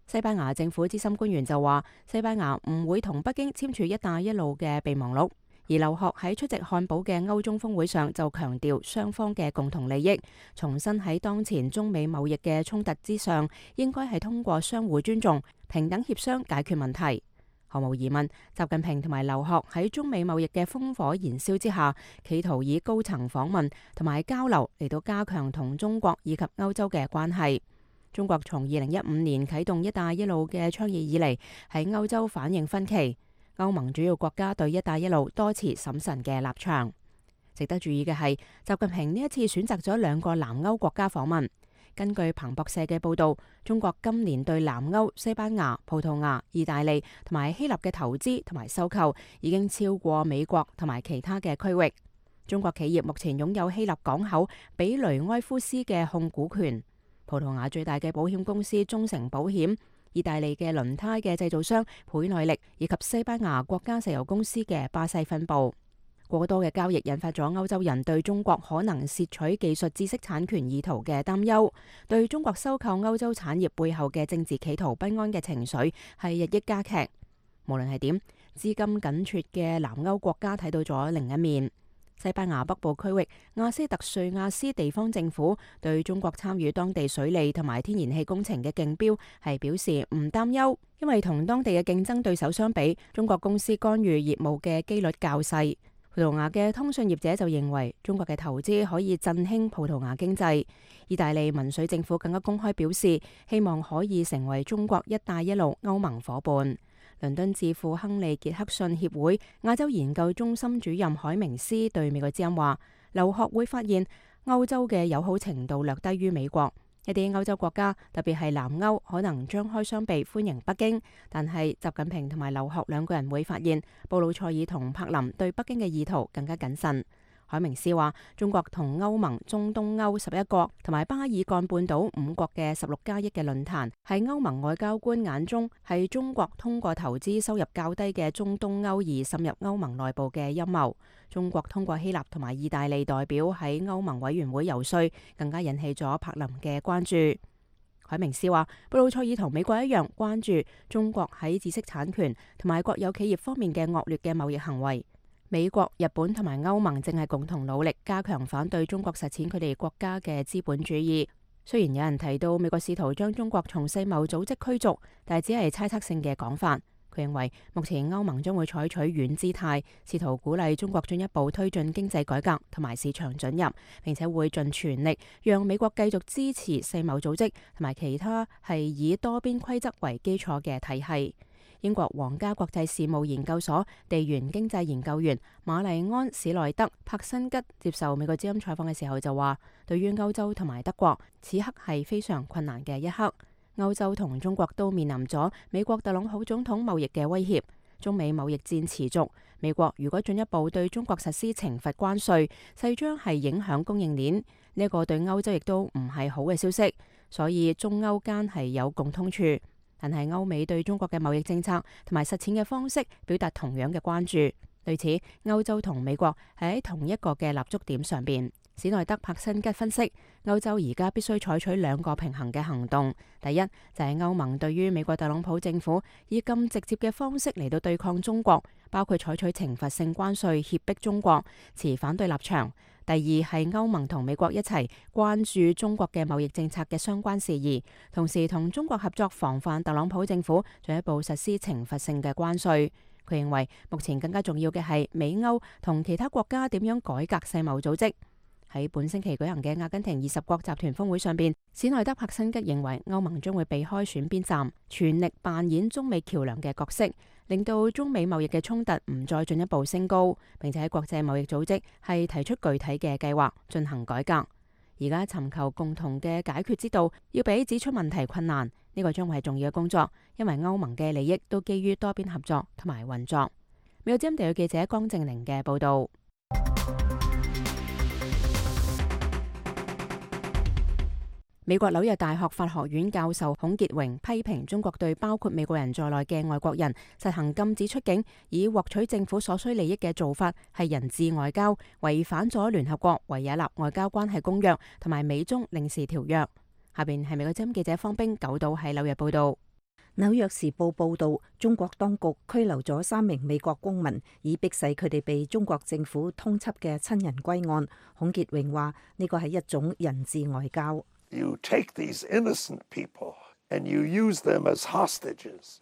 西班牙政府資深官員就話，西班牙唔會同北京簽署一帶一路嘅備忘錄。而劉鶴喺出席漢堡嘅歐中峰會上就強調雙方嘅共同利益，重申喺當前中美貿易嘅衝突之上，應該係通過相互尊重、平等協商解決問題。毫無疑問，習近平同埋劉鶴喺中美貿易嘅烽火燃燒之下，企圖以高層訪問同埋交流嚟到加強同中國以及歐洲嘅關係。中國從二零一五年啟動一帶一路嘅倡議以嚟，喺歐洲反應分歧。歐盟主要國家對一帶一路多持審慎嘅立場。值得注意嘅係，習近平呢一次選擇咗兩個南歐國家訪問。根據彭博社嘅報導，中國今年對南歐、西班牙、葡萄牙、意大利同埋希臘嘅投資同埋收購已經超過美國同埋其他嘅區域。中國企業目前擁有希臘港口比雷埃夫斯嘅控股權，葡萄牙最大嘅保險公司中誠保險，意大利嘅輪胎嘅製造商倍耐力，以及西班牙國家石油公司嘅巴西分部。過多嘅交易引發咗歐洲人對中國可能竊取技術知識產權意圖嘅擔憂，對中國收購歐洲產業背後嘅政治企圖不安嘅情緒係日益加劇。無論係點，資金緊缺嘅南歐國家睇到咗另一面。西班牙北部區域亞斯特瑞亞斯地方政府對中國參與當地水利同埋天然氣工程嘅競標係表示唔擔憂，因為同當地嘅競爭對手相比，中國公司干預業務嘅機率較細。葡萄牙嘅通訊業者就認為中國嘅投資可以振興葡萄牙經濟。意大利民粹政府更加公開表示，希望可以成為中國一帶一路歐盟夥伴。倫敦智庫亨利傑克遜協會亞洲研究中心主任海明斯對美國之音話，留學會發現歐洲嘅友好程度略低於美國。一啲歐洲國家，特別係南歐，可能張開雙臂歡迎北京，但係習近平同埋劉鶴兩個人會發現，布魯塞爾同柏林對北京嘅意圖更加謹慎。海明斯話，中國同歐盟、中東歐十一國同埋巴爾幹半島五國嘅十六加一嘅論壇，喺歐盟外交官眼中係中國通過投資收入較低嘅中東歐而滲入歐盟內部嘅陰謀。中國通過希臘同埋意大利代表喺歐盟委員會游說，更加引起咗柏林嘅關注。海明斯話，布魯塞爾同美國一樣關注中國喺知識產權同埋國有企業方面嘅惡劣嘅貿易行為。美國、日本同埋歐盟正係共同努力加強反對中國實踐佢哋國家嘅資本主義。雖然有人提到美國試圖將中國從世貿組織驅逐，但係只係猜測性嘅講法。佢認為目前歐盟將會採取軟姿態，試圖鼓勵中國進一步推進經濟改革同埋市場准入，並且會盡全力讓美國繼續支持世貿組織同埋其他係以多邊規則為基礎嘅體系。英國皇家國際事務研究所地緣經濟研究員瑪麗安史內德柏辛吉接受美國之音採訪嘅時候就話，對於歐洲同埋德國，此刻係非常困難嘅一刻。歐洲同中國都面臨咗美國特朗普總統貿易嘅威脅，中美貿易戰持續。美國如果進一步對中國實施懲罰關稅，勢將係影響供應鏈，呢一個對歐洲亦都唔係好嘅消息。所以中歐間係有共通處。但係歐美對中國嘅貿易政策同埋實踐嘅方式表達同樣嘅關注，對此歐洲同美國係喺同一個嘅立足點上邊。史內德柏辛吉分析，歐洲而家必須採取兩個平衡嘅行動。第一就係歐盟對於美國特朗普政府以咁直接嘅方式嚟到對抗中國，包括採取懲罰性關稅脅迫中國，持反對立場。第二係歐盟同美國一齊關注中國嘅貿易政策嘅相關事宜，同時同中國合作防範特朗普政府進一步實施懲罰性嘅關稅。佢認為目前更加重要嘅係美歐同其他國家點樣改革世貿組織。喺本星期舉行嘅阿根廷二十國集團峰會上邊，史內德柏辛吉認為歐盟將會避開選邊站，全力扮演中美橋樑嘅角色，令到中美貿易嘅衝突唔再進一步升高，並且喺國際貿易組織係提出具體嘅計劃進行改革。而家尋求共同嘅解決之道，要比指出問題困難，呢個將會係重要嘅工作，因為歐盟嘅利益都基於多邊合作同埋運作。美國之音地記者江正玲嘅報道。美國紐約大學法學院教授孔傑榮批評中國對包括美國人在內嘅外國人實行禁止出境以獲取政府所需利益嘅做法係人質外交，違反咗聯合國維也納外交關係公約同埋美中領事條約。下邊係美國之音記者方冰九島喺紐約報道。紐約時報報道，中國當局拘留咗三名美國公民，以迫使佢哋被中國政府通緝嘅親人歸案。孔傑榮話：呢個係一種人質外交。You take these innocent people and you use them as hostages.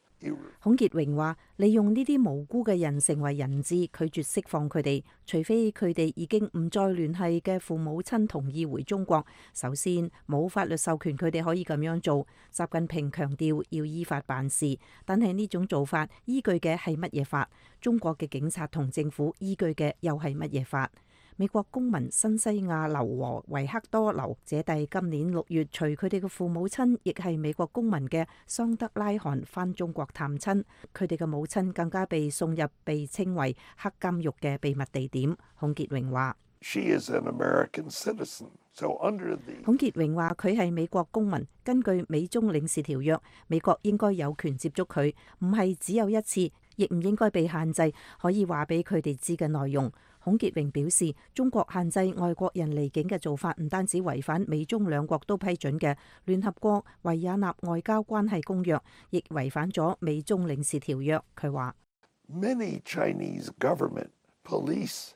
孔傑榮話：利用呢啲無辜嘅人成為人質，拒絕釋放佢哋，除非佢哋已經唔再聯繫嘅父母親同意回中國。首先，冇法律授權佢哋可以咁樣做。習近平強調要依法辦事，但係呢種做法依據嘅係乜嘢法？中國嘅警察同政府依據嘅又係乜嘢法？美國公民新西亞流和維克多流姐弟今年六月隨佢哋嘅父母親，亦係美國公民嘅桑德拉罕返中國探親，佢哋嘅母親更加被送入被稱為黑監獄嘅秘密地點。孔傑榮話：She is an American citizen, so under the... 孔傑榮話佢係美國公民，根據美中領事條約，美國應該有權接觸佢，唔係只有一次，亦唔應該被限制可以話俾佢哋知嘅內容。孔傑榮表示，中國限制外國人離境嘅做法唔單止違反美中兩國都批准嘅聯合國維也納外交關係公約，亦違反咗美中領事條約。佢話Many Chinese government police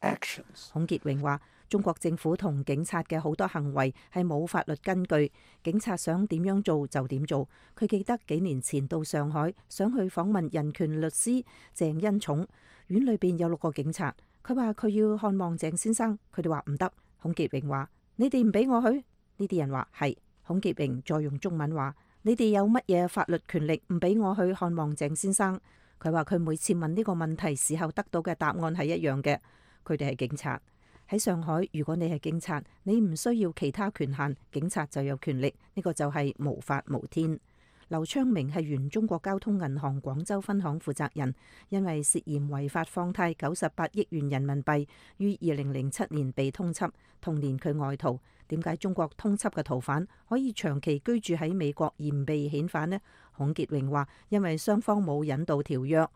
actions. 孔傑榮話，中國政府同警察嘅好多行為係冇法律根據，警察想點樣做就點做。佢記得幾年前到上海，想去訪問人權律師鄭恩寵，院裏邊有六個警察。佢話佢要看望鄭先生，佢哋話唔得。孔潔榮話：你哋唔俾我去？呢啲人話係。孔潔榮再用中文話：你哋有乜嘢法律權力唔俾我去看望鄭先生？佢話佢每次問呢個問題時候得到嘅答案係一樣嘅。佢哋係警察。喺上海，如果你係警察，你唔需要其他權限，警察就有權力。呢個就係無法無天。劉昌明係原中國交通銀行廣州分行負責人，因為涉嫌違法放貸九十八億元人民幣，於二零零七年被通緝。同年佢外逃。點解中國通緝嘅逃犯可以長期居住喺美國而唔被遣返呢？孔潔榮話：因為雙方冇引渡條約。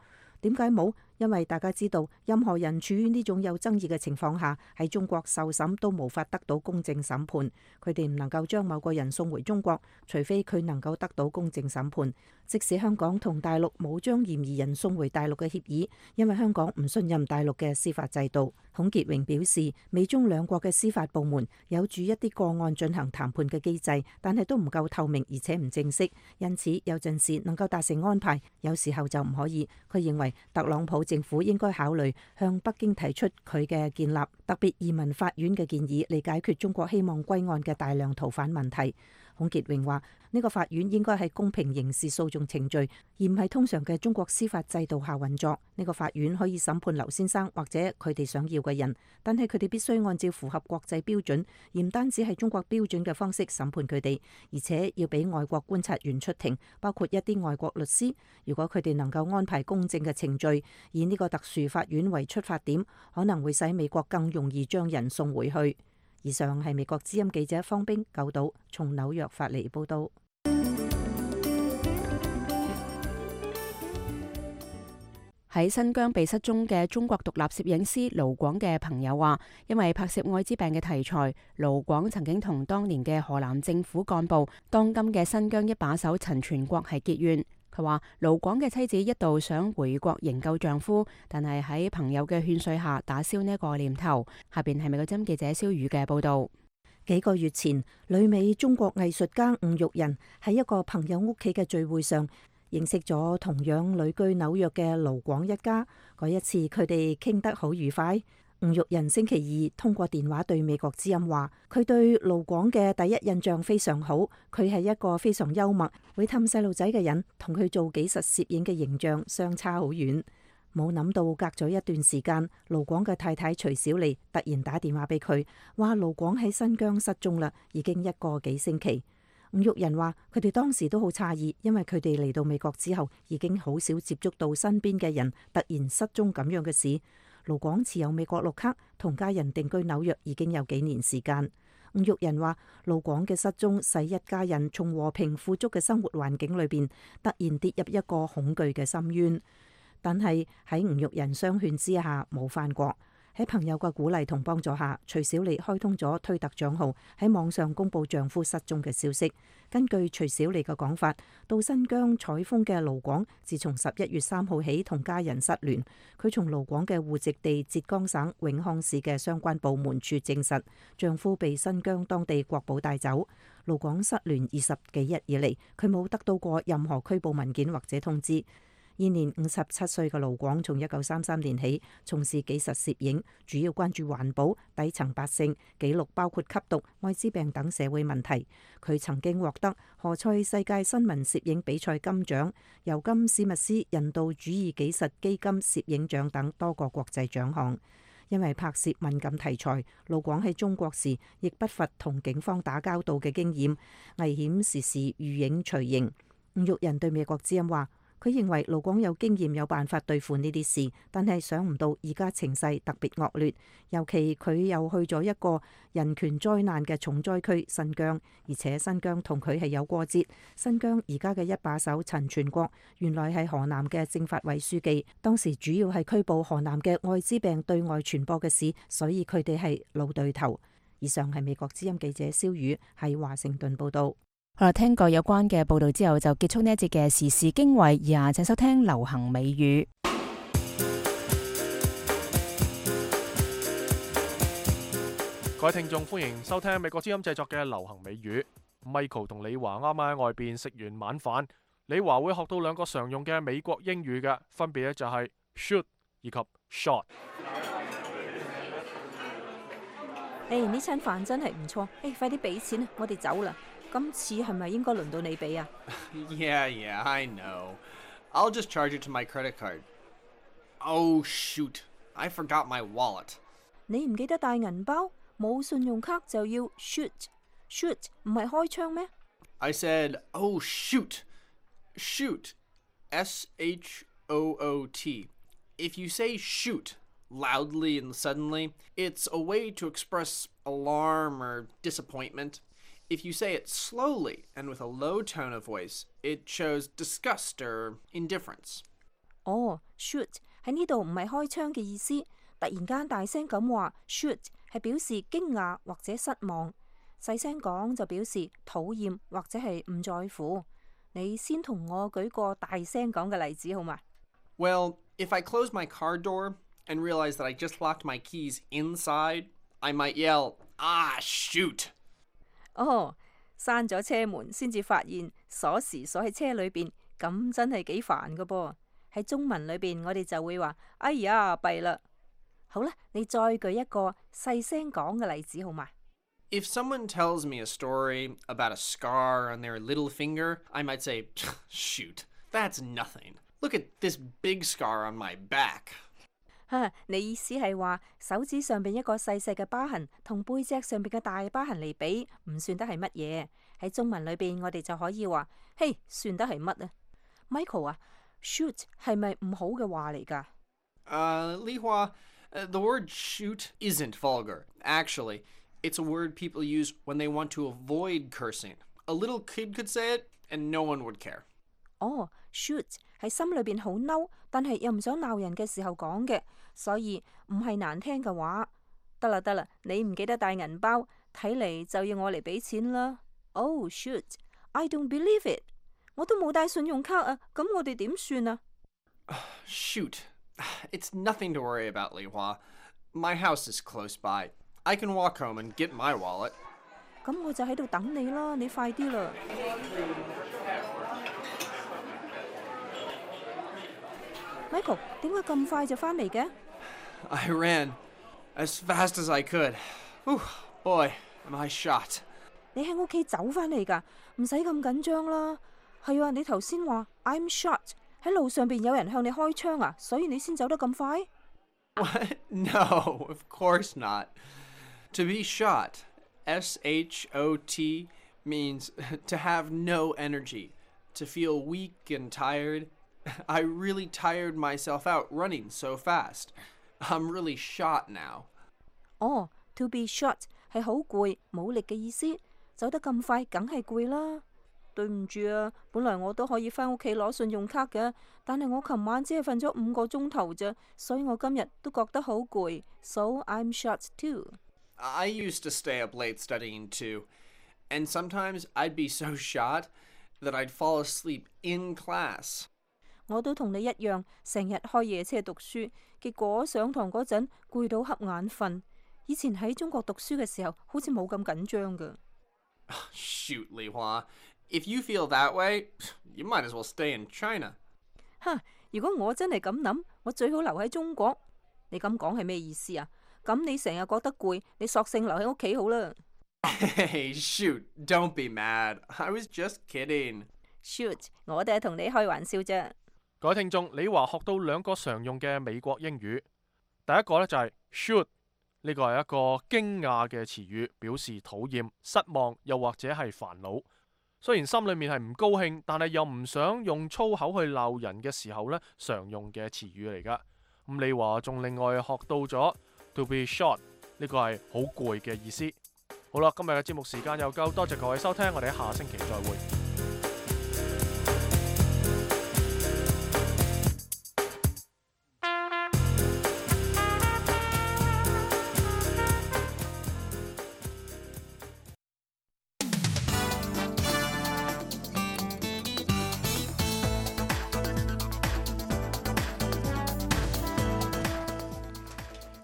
點解冇？因為大家知道，任何人處於呢種有爭議嘅情況下，喺中國受審都無法得到公正審判。佢哋唔能夠將某個人送回中國，除非佢能夠得到公正審判。即使香港同大陸冇將嫌疑人送回大陸嘅協議，因為香港唔信任大陸嘅司法制度。孔潔榮表示，美中兩國嘅司法部門有住一啲個案進行談判嘅機制，但係都唔夠透明而且唔正式，因此有陣時能夠達成安排，有時候就唔可以。佢認為特朗普政府應該考慮向北京提出佢嘅建立特別移民法院嘅建議，嚟解決中國希望歸案嘅大量逃犯問題。孔潔榮話：呢個法院應該係公平刑事訴訟程序，而唔係通常嘅中國司法制度下運作。呢個法院可以審判劉先生或者佢哋想要嘅人，但係佢哋必須按照符合國際標準，而唔單止係中國標準嘅方式審判佢哋，而且要俾外國觀察員出庭，包括一啲外國律師。如果佢哋能夠安排公正嘅程序，以呢個特殊法院為出發點，可能會使美國更容易將人送回去。以上係美國之音記者方冰九島從紐約發嚟報道。喺新疆被失蹤嘅中國獨立攝影師盧廣嘅朋友話，因為拍攝愛滋病嘅題材，盧廣曾經同當年嘅河南政府幹部、當今嘅新疆一把手陳全國係結怨。佢話盧廣嘅妻子一度想回國營救丈夫，但係喺朋友嘅勸說下打消呢個念頭。下邊係美國之音記者蕭宇嘅報道。幾個月前，旅美中國藝術家吳玉仁喺一個朋友屋企嘅聚會上認識咗同樣旅居紐約嘅盧廣一家。嗰一次佢哋傾得好愉快。吳玉仁星期二通過電話對美國之音話，佢對盧廣嘅第一印象非常好，佢係一個非常幽默、會氹細路仔嘅人，同佢做紀實攝影嘅形象相差好遠。冇諗到隔咗一段時間，盧廣嘅太太徐小麗突然打電話俾佢，話盧廣喺新疆失蹤啦，已經一個幾星期。吳玉仁話佢哋當時都好詫異，因為佢哋嚟到美國之後，已經好少接觸到身邊嘅人突然失蹤咁樣嘅事。盧廣持有美國綠卡，同家人定居紐約已經有幾年時間。吳玉仁話盧廣嘅失蹤使一家人從和平富足嘅生活環境裏邊突然跌入一個恐懼嘅深淵，但係喺吳玉仁相勸之下冇返國。喺朋友嘅鼓勵同幫助下，徐小麗開通咗推特賬號，喺網上公布丈夫失蹤嘅消息。根據徐小麗嘅講法，到新疆採風嘅盧廣自從十一月三號起同家人失聯。佢從盧廣嘅戶籍地浙江省永康市嘅相關部門處證實，丈夫被新疆當地國保帶走。盧廣失聯二十幾日以嚟，佢冇得到過任何拘捕文件或者通知。現年五十七歲嘅盧廣，從一九三三年起從事紀實攝影，主要關注環保、底層百姓、記錄包括吸毒、愛滋病等社會問題。佢曾經獲得何塞世界新聞攝影比賽金獎、尤金史密斯人道主義紀實基金攝影獎等多個國際獎項。因為拍攝敏感題材，盧廣喺中國時亦不乏同警方打交道嘅經驗，危險時時遇影隨形。吳玉仁對美國之音話，佢認為盧廣有經驗有辦法對付呢啲事，但係想唔到而家情勢特別惡劣，尤其佢又去咗一個人權災難嘅重災區新疆，而且新疆同佢係有過節。新疆而家嘅一把手陳全國原來係河南嘅政法委書記，當時主要係拘捕河南嘅愛滋病對外傳播嘅事，所以佢哋係老對頭。以上係美國之音記者蕭宇喺華盛頓報道。好啦，聽過有關嘅報道之後，就結束呢一節嘅時事經緯。以下請收聽流行美語。各位聽眾，歡迎收聽美國之音製作嘅流行美語。Michael 同李華啱啱喺外邊食完晚飯，李華會學到兩個常用嘅美國英語嘅，分別咧就係 shoot 以及 shot。誒呢餐飯真係唔錯，誒快啲俾錢啊！我哋走啦。今次係咪應該輪到你俾啊 Yeah, yeah, I know. I'll just charge it to my credit card. Oh, shoot. I forgot my wallet. 你唔記得帶銀包，冇信用卡就要 shoot。shoot 唔係開槍咩 I said, oh, shoot. Shoot. S H O O T. If you say shoot loudly and suddenly, it's a way to express alarm or disappointment. If you say it slowly and with a low tone of voice, it shows disgust or indifference. 哦 shoot 喺呢度唔係開槍嘅意思，突然間大聲咁話 shoot 係表示驚訝或者失望，細聲講就表示討厭或者係唔在乎。你先同我舉個大聲講嘅例子好嗎 Well, if I close my car door and realize that I just locked my keys inside, I might yell, ah, shoot. 哦，閂咗車門先至發現鎖匙鎖喺車裏邊，咁真係幾煩噶噃。喺中文裏邊，我哋就會話：哎呀，弊啦！好啦，你再舉一個細聲講嘅例子好嗎 If someone tells me a story about a scar on their little finger, I might say, shoot, that's nothing. Look at this big scar on my back. 哈，你意思係話手指上邊一個細細嘅疤痕，同背脊上邊嘅大疤痕嚟比，唔算得係乜嘢。喺中文裏邊，我哋就可以話：嘿，算得係乜啊 ？Michael 啊 ，shoot 係咪唔好嘅話嚟㗎？ Uh, Li Hua, uh, the word shoot isn't vulgar. Actually, it's a word people use when they want to avoid cursing. A little kid could say it, and no one would care. 哦 ，shoot 係心裏邊好嬲，但係又唔想鬧人嘅時候講嘅，所以唔係難聽嘅話。得啦得啦，你唔記得帶銀包，睇嚟就要我嚟俾錢啦。Oh shoot! I don't believe it！ 我都冇帶信用卡啊，咁我哋點算啊 Shoot. It's nothing to worry about, Li Hua. My house is close by. I can walk home and get my wallet. 咁我就喺度等你啦，你快啲啦。Michael， 點解咁快就返嚟嘅 I ran as fast as I could. Whew, boy, am I shot. 你喺屋企走返嚟㗎，唔使咁緊張啦。係啊，你頭先話 I'm shot， 喺路上邊有人向你開槍啊，所以你先走得咁快 What? No, of course not. To be shot, S H O T, means to have no energy, to feel weak and tired. I really tired myself out running so fast. I'm really shot now. 哦 ，to be shot 係好攰、冇力嘅意思，走得咁快，梗係攰啦。對唔住啊，本來我都可以返屋企攞信用卡嘅，但係我琴晚只係瞓咗五個鐘頭啫，所以我今日都覺得好攰。So I'm shot too. I used to stay up late studying too, and sometimes I'd be so shot that I'd fall asleep in class. 我都同你一樣，成日開夜車讀書，結果上堂嗰陣攰到瞌眼瞓。以前喺中國讀書嘅時候，好似冇咁緊張㗎。Shoot, Li Hua. If you feel that way, you might as well stay in China. 哈！如果我真係咁諗，我最好留喺中國。你咁講係咩意思啊？咁你成日覺得攰，你索性留喺屋企好啦。Hey, shoot, don't be mad. I was just kidding. Shoot, 我哋係同你開玩笑啫。各位聽眾，李華學到兩個常用嘅美國英語。第一個呢就係 shoot， 呢個係一個驚訝嘅詞語，表示討厭、失望又或者係煩惱。雖然心裏面係唔高興，但係又唔想用粗口去鬧人嘅時候呢，常用嘅詞語嚟噶。咁李華仲另外學到咗 to be shot， 呢個係好攰嘅意思。好啦，今日嘅節目時間又夠，多謝各位收聽，我哋喺下星期再會。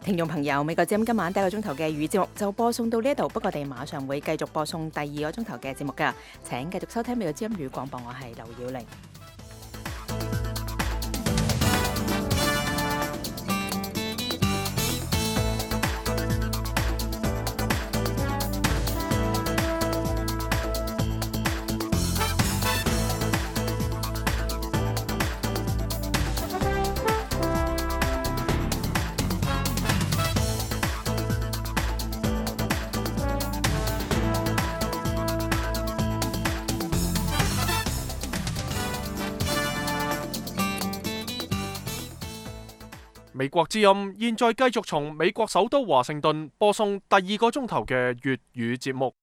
聽眾朋友，美國之音今晚第一個鐘頭嘅語節目就播送到呢一度，不過我哋馬上會繼續播送第二個鐘頭嘅節目㗎。請繼續收聽美國之音語廣播，我係劉曉玲。美國之音現在繼續從美國首都華盛頓播送第二個鐘頭嘅粵語節目。